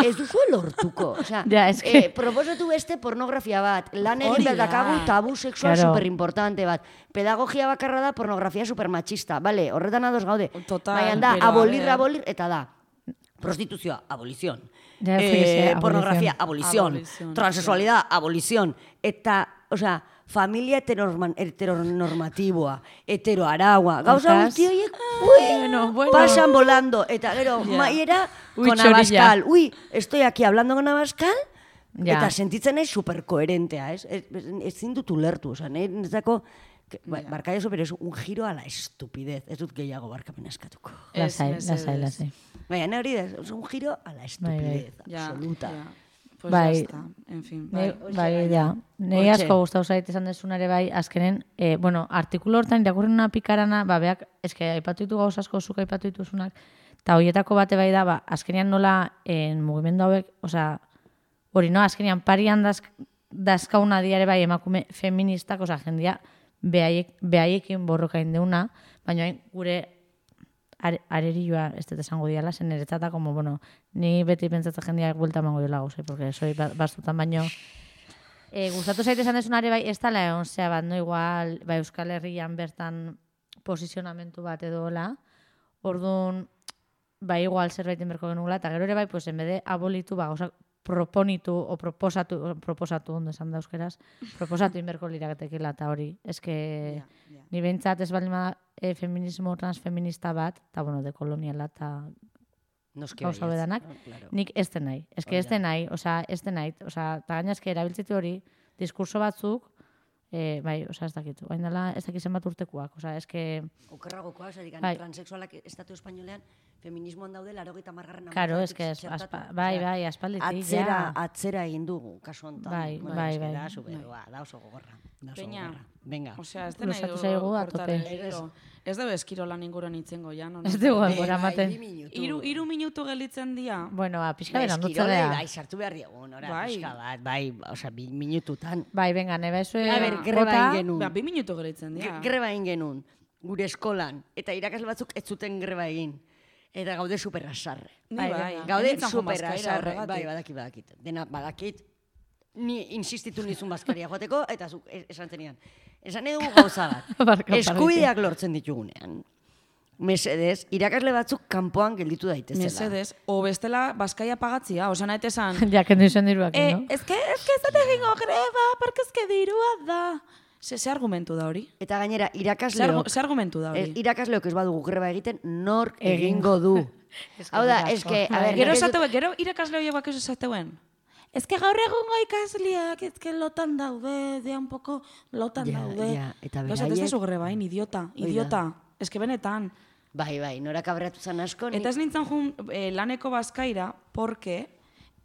ez duzue lortuko. Osea, Ja, es que- eh, proposatu beste pornografia bat, lan egin Hori behar da. dakagu tabu sexual Claro. superimportante bat. Pedagogia bakarra da pornografia supermachista. Bale, horretan ados gaude. Total, Baina da, pero a abolir, ver. abolir, eta da. Prostituzioa, abolición. Ja, Eh, fíjese, pornografía, abolición. abolición. Abolición, Transexualidad, abolición. Eta, osea, familia heteronorma- heteronormatiboa, heteroaragua, gauza Hortaz. guzti horiek, ui, bueno, bueno. pasan volando. Eta gero, Ja. maiera, Ui, con txorilla. Abascal. Ui, estoy aquí hablando con Abascal, Ja. eta sentitzen naiz superkoherentea, ez? Ez, ezin dut ulertu, osea, niretzako, ba, barka jaso, pero es un giro a la estupidez. Ez dut gehiago barkamena eskatuko. Lasai, Ez, lasai, mesedez. lasai. Baina, hori da, es un giro a la estupidez, Ja, absoluta. ja. Pues Bai. ya está. En fin, Ne, bai. bai, ja. Nei Hortxe. asko gustatu zait esan desunare bai, azkenen, eh, bueno, artikulu hortan irakurri una pikarana, ba, beak, eske, aipatu ditu gauz asko, zuk aipatu dituzunak, eta horietako bate bai da, ba, azkenean nola, en mugimendu hauek, osea, hori, no, azkenean parian dazk, dazkauna diare bai emakume feministak, osea, jendia, behaiek, behaiekin borrokain deuna, baina hain gure are, arerioa ez dut esango diala, zen niretzata, como, bueno, ni beti pentsatzen jendia buelta emango diola gauzai, porque soy ba- bastutan baino. E, gustatu zaite esan desunare bai, ez dala egon zea bat, no igual, bai, Euskal Herrian bertan posizionamentu bat edo hola, orduan, bai, igual zerbait inberko genugula, eta gero ere bai, pues, enbede abolitu, ba, gauzak proponitu, o proposatu, o proposatu, ondo esan da euskeraz, proposatu inberko liraketekela, eta hori, eske, Ja, ja. ni behintzat ez baldin bada e, feminismo transfeminista bat, eta, bueno, dekoloniala, eta Noski gauza baietz. bedanak, Ah, claro. nik ez den nahi. Ez que Hori ez den nahi, osea, ez den nahi. Osea, eta gaina eske erabiltzitu hori, diskurso batzuk, eh, bai, osea, ez dakit. Oain dela, ez dakit zenbat urtekoak. Osea, eske, Okerragokoa, esatik, Bai. transexualak estatu espainolean feminismoan daude laurogeita hamargarren karo, hamarkadatik eske, ez, txertatu. aspa, bai, Osea, bai, aspalditik, Atzera, ja. atzera egin dugu, kasu honetan. Bai, Bueno, bai, eske bai. Da, superoa, da oso gogorra. Da oso Peña. gogorra. Venga. Osea, ez dena Luzatu zaigu a tope. Ez dugu eskirolan inguruan itzengo, ja, no? Ez dugu Venga, denbora ematen. bi minutu. Iru, iru minutu gelditzen dira. Bueno, ba, pixka Bai, beran eskirolei, dutzea. bai, sartu behar diogu, nora, Bai. pixka bat, bai, osea, bi minututan. Bai, venga, neba ezue A ber, greba bota, egin genuen. Ba, bi minutu gelditzen Ge- dira. Greba egin genuen, gure eskolan, eta irakasle batzuk ez zuten greba egin. Eta gaude superrasarre. Ni Bai, bai. venga. Gaude Nintzen joan bazkaira superrasarre. horregatik. Bai, badakit, badakit. Dena, badakit. Ni insistitu nizun bazkaria joateko, eta zuk es- esan zenian. Esan edu gauza bat. Barka, Eskubideak lortzen ditugunean. Mesedez, irakasle batzuk kanpoan gelditu daitezela. Mesedez, o bestela bazkaia pagatzia, osea nahi esan. ja, kendu izan diruak, Eh, no? ez que, ez que ez dut egingo greba, porque ez que dirua da. Ze, ze argumentu da hori? Eta gainera, Ze, argu, irakasleok, ze argumentu da eh, hori? irakasleok ez badugu greba egiten, nork Egingo. egingo du. Hau da, asko. eske, a Bai. ber, Gero nik ez dut- esateu, gero irakasle horiek bak esateuen. Ez que gaur egungo ikasleak, ez que lotan daude, de un poco lotan Ja, daude. ja, eta Gero esatez beraiek- da zu grebain, idiota, Hoi da. idiota. Ez que benetan. Bai, bai, nora kabratu zan asko. ni- Eta ez nintzen jun eh, laneko bazkaira, porque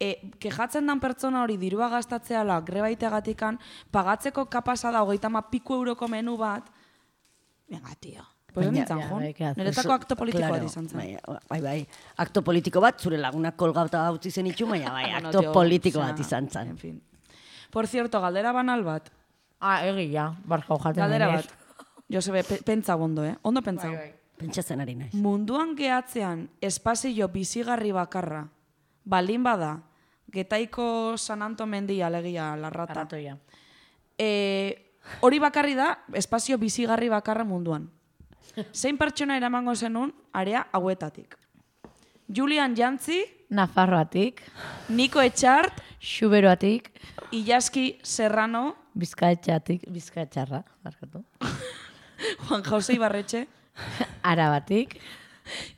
eh, kejatzen dan pertsona hori dirua gastatzeala grebaiteagatikan, pagatzeko kapasa da hogeita ma piku euroko menu bat, venga, tio. Pues ez Baina- nintzen Ja, jun. bai, ke Niretako akto politiko bat Claro, izan zen. Bai, bai, bai, akto politiko bat, zure lagunak kolgauta utzi zen itxu, baina bai, Bueno, akto tio, politiko osea, bat izan zen. En fin. Por cierto, galdera banal bat. Ah, egia, barkau jaten Galdera denez. bat. Josebe, pe, pentsa ondo, eh? Ondo pentsa. Pentsatzen ari naiz. Munduan gehatzean espazio bizigarri bakarra, balin bada, Getaiko San Anto mendia alegia larrata. Arratoia. E, hori bakarri da, espazio bizigarri bakarra munduan. Zein pertsona eramango zenun, area hauetatik. Julian Jantzi, Nafarroatik, Niko Etxart, Xuberoatik, Ilaski Serrano, Bizkaitxatik, Bizkaitxarra, barkatu. Juan Jose Ibarretxe, Arabatik,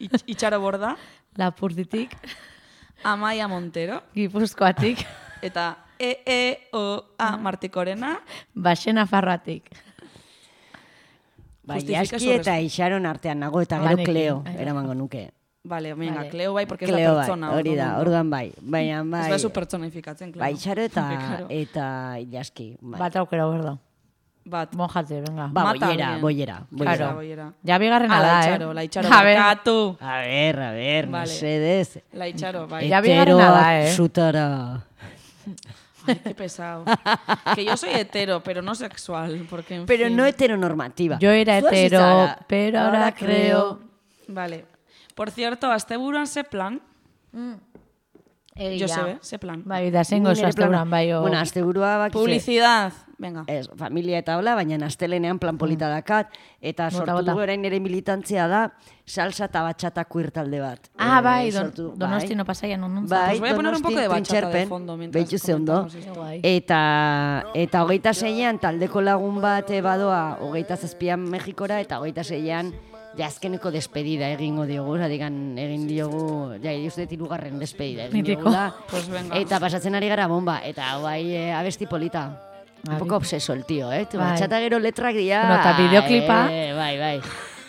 Itx- Itxaro Borda, Lapurditik, Amaia Montero, Gipuzkoatik, eta E E O A Martikorena, Baxe Nafarroatik. Bai, Justifika Aski zorrez. eta Ixaron artean nago eta gero Banekin. Cleo Ai, eramango nuke. Vale, venga, Vale. Cleo bai, porque ez Cleo da bai, pertsona. hori da, orduan. orduan bai. Baina Ez bai, da zu pertsonifikatzen, Cleo. bai, Ixaro eta, Claro. eta Ilaski. Bai. Bat aukera berda. Bat. Monjate, venga. Ba, Mata boiera, bien. boiera, boiera. Claro. Boiera. Ja bigarrena Ah, da, la eh? Itxaro, la Itxaro, A ver, barkatu. A ber, a ber, Vale. mesedez. La Itxaro, bai. Ya bigarrena da, eh? Zutara. Ay, qué pesado. Que yo soy hetero, pero no sexual, porque en Pero fin. no heteronormativa. Yo era Zu hasi hetero, zara. pero ahora creo... Vale. Por cierto, asteburuan ze plan? Egia. Josebe, ze plan? Bai, da zengo Nire oso asteburuan, bai, o... Bueno, asteburua bakize. Publicidad. Venga. Ez, familia eta hola, baina astelenean plan polita dakat, eta Bota, sortu bota. dugu orain nire militantzia da, salsa eta batxata queer talde bat. Ah, Eh, bai, don, sortu- donosti bai. no pasaian non Bai, Pues voy a poner un poco de Donostin, bachata de Trintxerpen, fondo mientras behitu ze ondo. comentamos esto. Guai. Eta, eta hogeita zeian taldeko lagun bat eh, badoa hogeita zazpian Mexikora, eta hogeita zeian ja azkeneko despedida egingo diogu, zatikan egin diogu, ja, uste tirugarren despedida egin Mitiko. diogu da. Pues venga. Eta pasatzen ari gara bomba, eta bai eh, abesti polita. Un Abi. poco obseso el tío, eh? Tu Bai. Bachata gero letrak dira... Bueno, eta bideoklipa? Eh, bai, bai.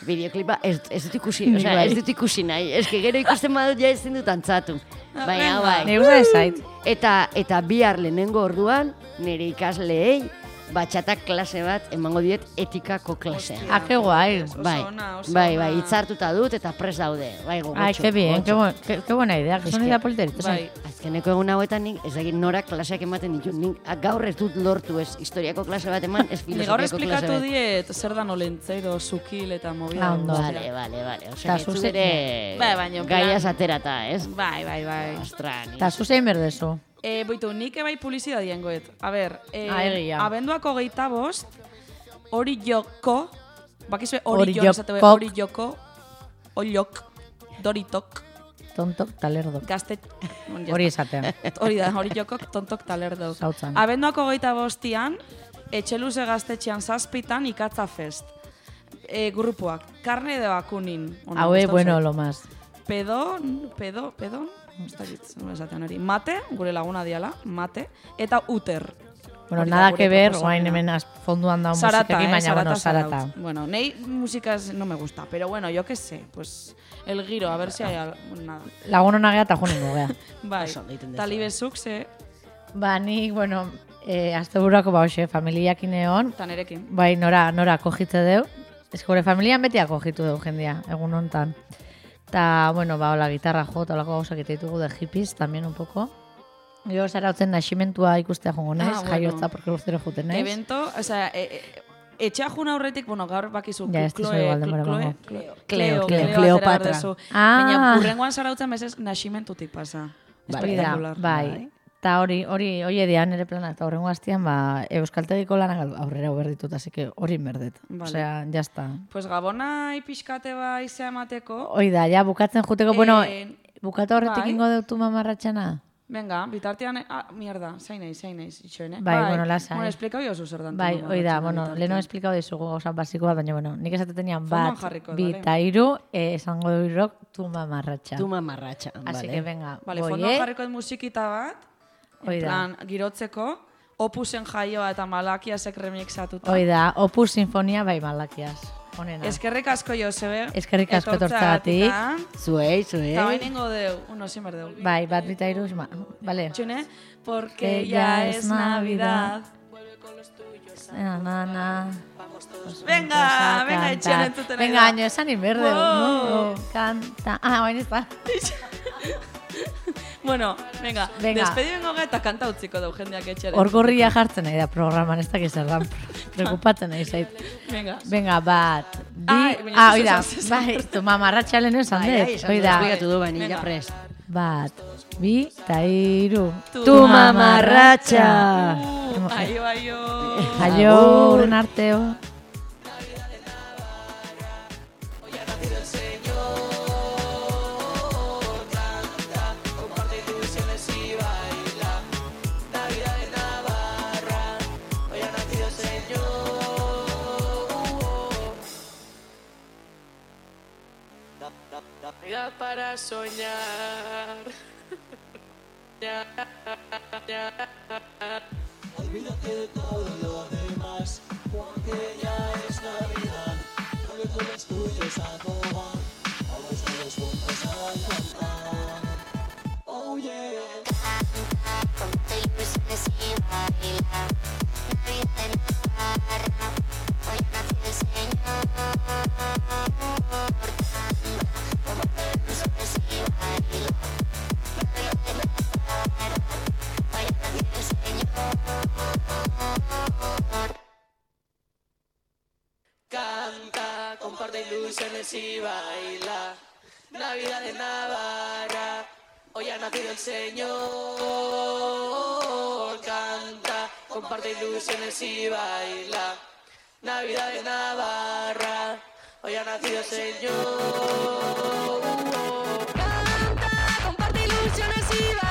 Bideoklipa ez, ez dut ikusi, Nik osea, bai. ez dut ikusi nahi. Ez que gero ikusten badut ja ezin dut antzatu. Baina, bai. Ne gusta zait. Eta, eta bihar lehenengo orduan, nire ikasleei, batxata klase bat emango diet etikako klasea. Ah, qué guay. Oso Bai, ona, oso bai, ona. bai, hitzartuta dut eta pres daude. Bai, gogotxo. Ay, qué bien, qué, gogotxo. bu qué, qué buena idea. Que son que- idea politerita. Bai. Azkeneko egun hauetan nik, ez dakit norak klaseak ematen ditu. Nik ah, gaur ez dut lortu ez historiako klase bat eman, ez Ni gaur filosofiako klase esplikatu bat. diet zer da nolentzero, zukil eta movida. Ah, ondo. guztia. Vale, vale, vale. Ta Osea, ez zuzen- ere Bai, baina, en plan- gaiaz aterata, ez? Bai, bai, bai. Ostra, ni... Ta zu zein berdezu. Eh, boitu, nik ebai publizidadien goet. A ber, eh, Ah, egia. abenduako geita bost, hori joko, bakizue Hori hori jo, esate jokok. hori joko, oliok, doritok, Tontok talerdo. gazte... Bon, ja Hori está. esatea. Hori da, hori jokok tontok talerdo. Zautzan. Abenduako geita bostian, etxeluze gaztetxean zazpitan ikatza fest. E, grupuak, karne de bakunin. Ona, Haue, gustatu bueno, zait. lo más. Pedon, pedo, pedon, ez dakit, nola esatean hori. Mate, gure laguna diala, mate, eta uter. Bueno, Hori da nada gure que ver, proposamena. oain hemen az- fonduan da Sarata, musikekin, eh, baina, Sarata, bueno, sarata. Zarautz. Bueno, nei músicas no me gusta, pero bueno, yo qué sé, pues el giro, a ver si hay algo, nada. Lagun hona gea eta juningo gea. Bai, Oso ondo egiten duzu. talibezuk ze, Ba, ni, bueno, eh, azte buruako ba, hoxe, familiakin egon, eta nerekin. bai, nora, nora kojitze deu. Ez gure familian beti akojitu deu jendia, egun hontan. Ta, bueno, ba, hola, gitarra jo, eta holako gauzak egite ditugu de hippies, también un poco. Gero zarautzen naximentua ikustea jongo naiz, Ah, bueno. jaiotza, porque urtero juten naiz. Evento, o sea, e, e, etxea jun aurretik, bueno, gaur bakizu, Ja, ez dizu igual denbora emango. Cleo, Cleo, Cleo, Cleopatra. Cleo, Ah. Baina, urrengoan zarautzen bezez naximentutik pasa. Hori da, Espectacular. bai. Eta hori, hori, hori edia nire plana, eta horrengo aztian, ba, euskaltegiko lanak aurrera uberditut, así que hori inberdet. Vale. Osea, jazta. Pues Gabona pixkate bai izea emateko. Hoi da, ja, bukatzen juteko, bueno, Eh, bukatu horretik bai. ingo deutu mamarratxana? Venga, bitartean, ah, mierda, zain naiz, zain naiz, itxoen, eh? Bai, bueno, lasai. Bueno, esplikau jozu zer dan. Bai, tu hoi da, mamarratxana bueno, bitartean. leheno esplikau dizugu gauza basiko bat, baina, bueno, nik esateten Fondoan bat, jarriko, bi dale. eta hiru, eh, esango du irok, tu mamarratxa. Tu mamarratxa, Así vale. que venga, Vale, boie, fondoan jarriko dut musikita bat, Hoi en da. plan, girotzeko, opusen jaioa eta malakiasek remixatuta. hoi da, Opus Sinfonia bai malakiaz. Honena. Eskerrik asko Josebe. Eskerrik asko etortzeagatik. Zuei, zuei. Eta bain ingo deu, uno sin berdeu. Bai, bat bita hiru, ma, vale. Txune, porque Que ya es Navidad. Na, na, na. Venga, Vamos a venga, cantar. etxean entzuten nahi Venga, da. año esan inberde. Wow. Canta. Ah, baina ez da. Bueno, venga, Venga. despedibengo ga eta kanta utziko dau jendeak etxera. Orgorria jartzen nahi da programan, ez dakiz erran. Preocupatzen nahi zait. Venga. Venga, bat, bi... Ai, baina Ah, ez oida, esan, ez bai, tu mamarratxalen esan Bai, ai, dut, esan dut, oida. esplikatu du, baina Venga. ja prest. Bat, bi, eta hiru. Tu mamarratxa! Uh, aio, aio. Aio, uren arteo. Navidad para soñar. Ya, ya. Olvídate de todo lo demás, porque ya es Navidad. Vuelve con los tuyos a tomar, vamos todos juntos a cantar. Oh yeah. Ponte ilusiones y baila, Navidad en Navarra, hoy ha nacido el Señor. Ponte ilusiones y baila, Navidad en Navarra, hoy ha nacido el Señor. Canta, comparte ilusiones y baila. Navidad en Navarra, hoy ha nacido el Señor. Canta, comparte ilusiones y baila. Navidad en Navarra, hoy ha nacido el Señor. Canta, comparte ilusiones y baila.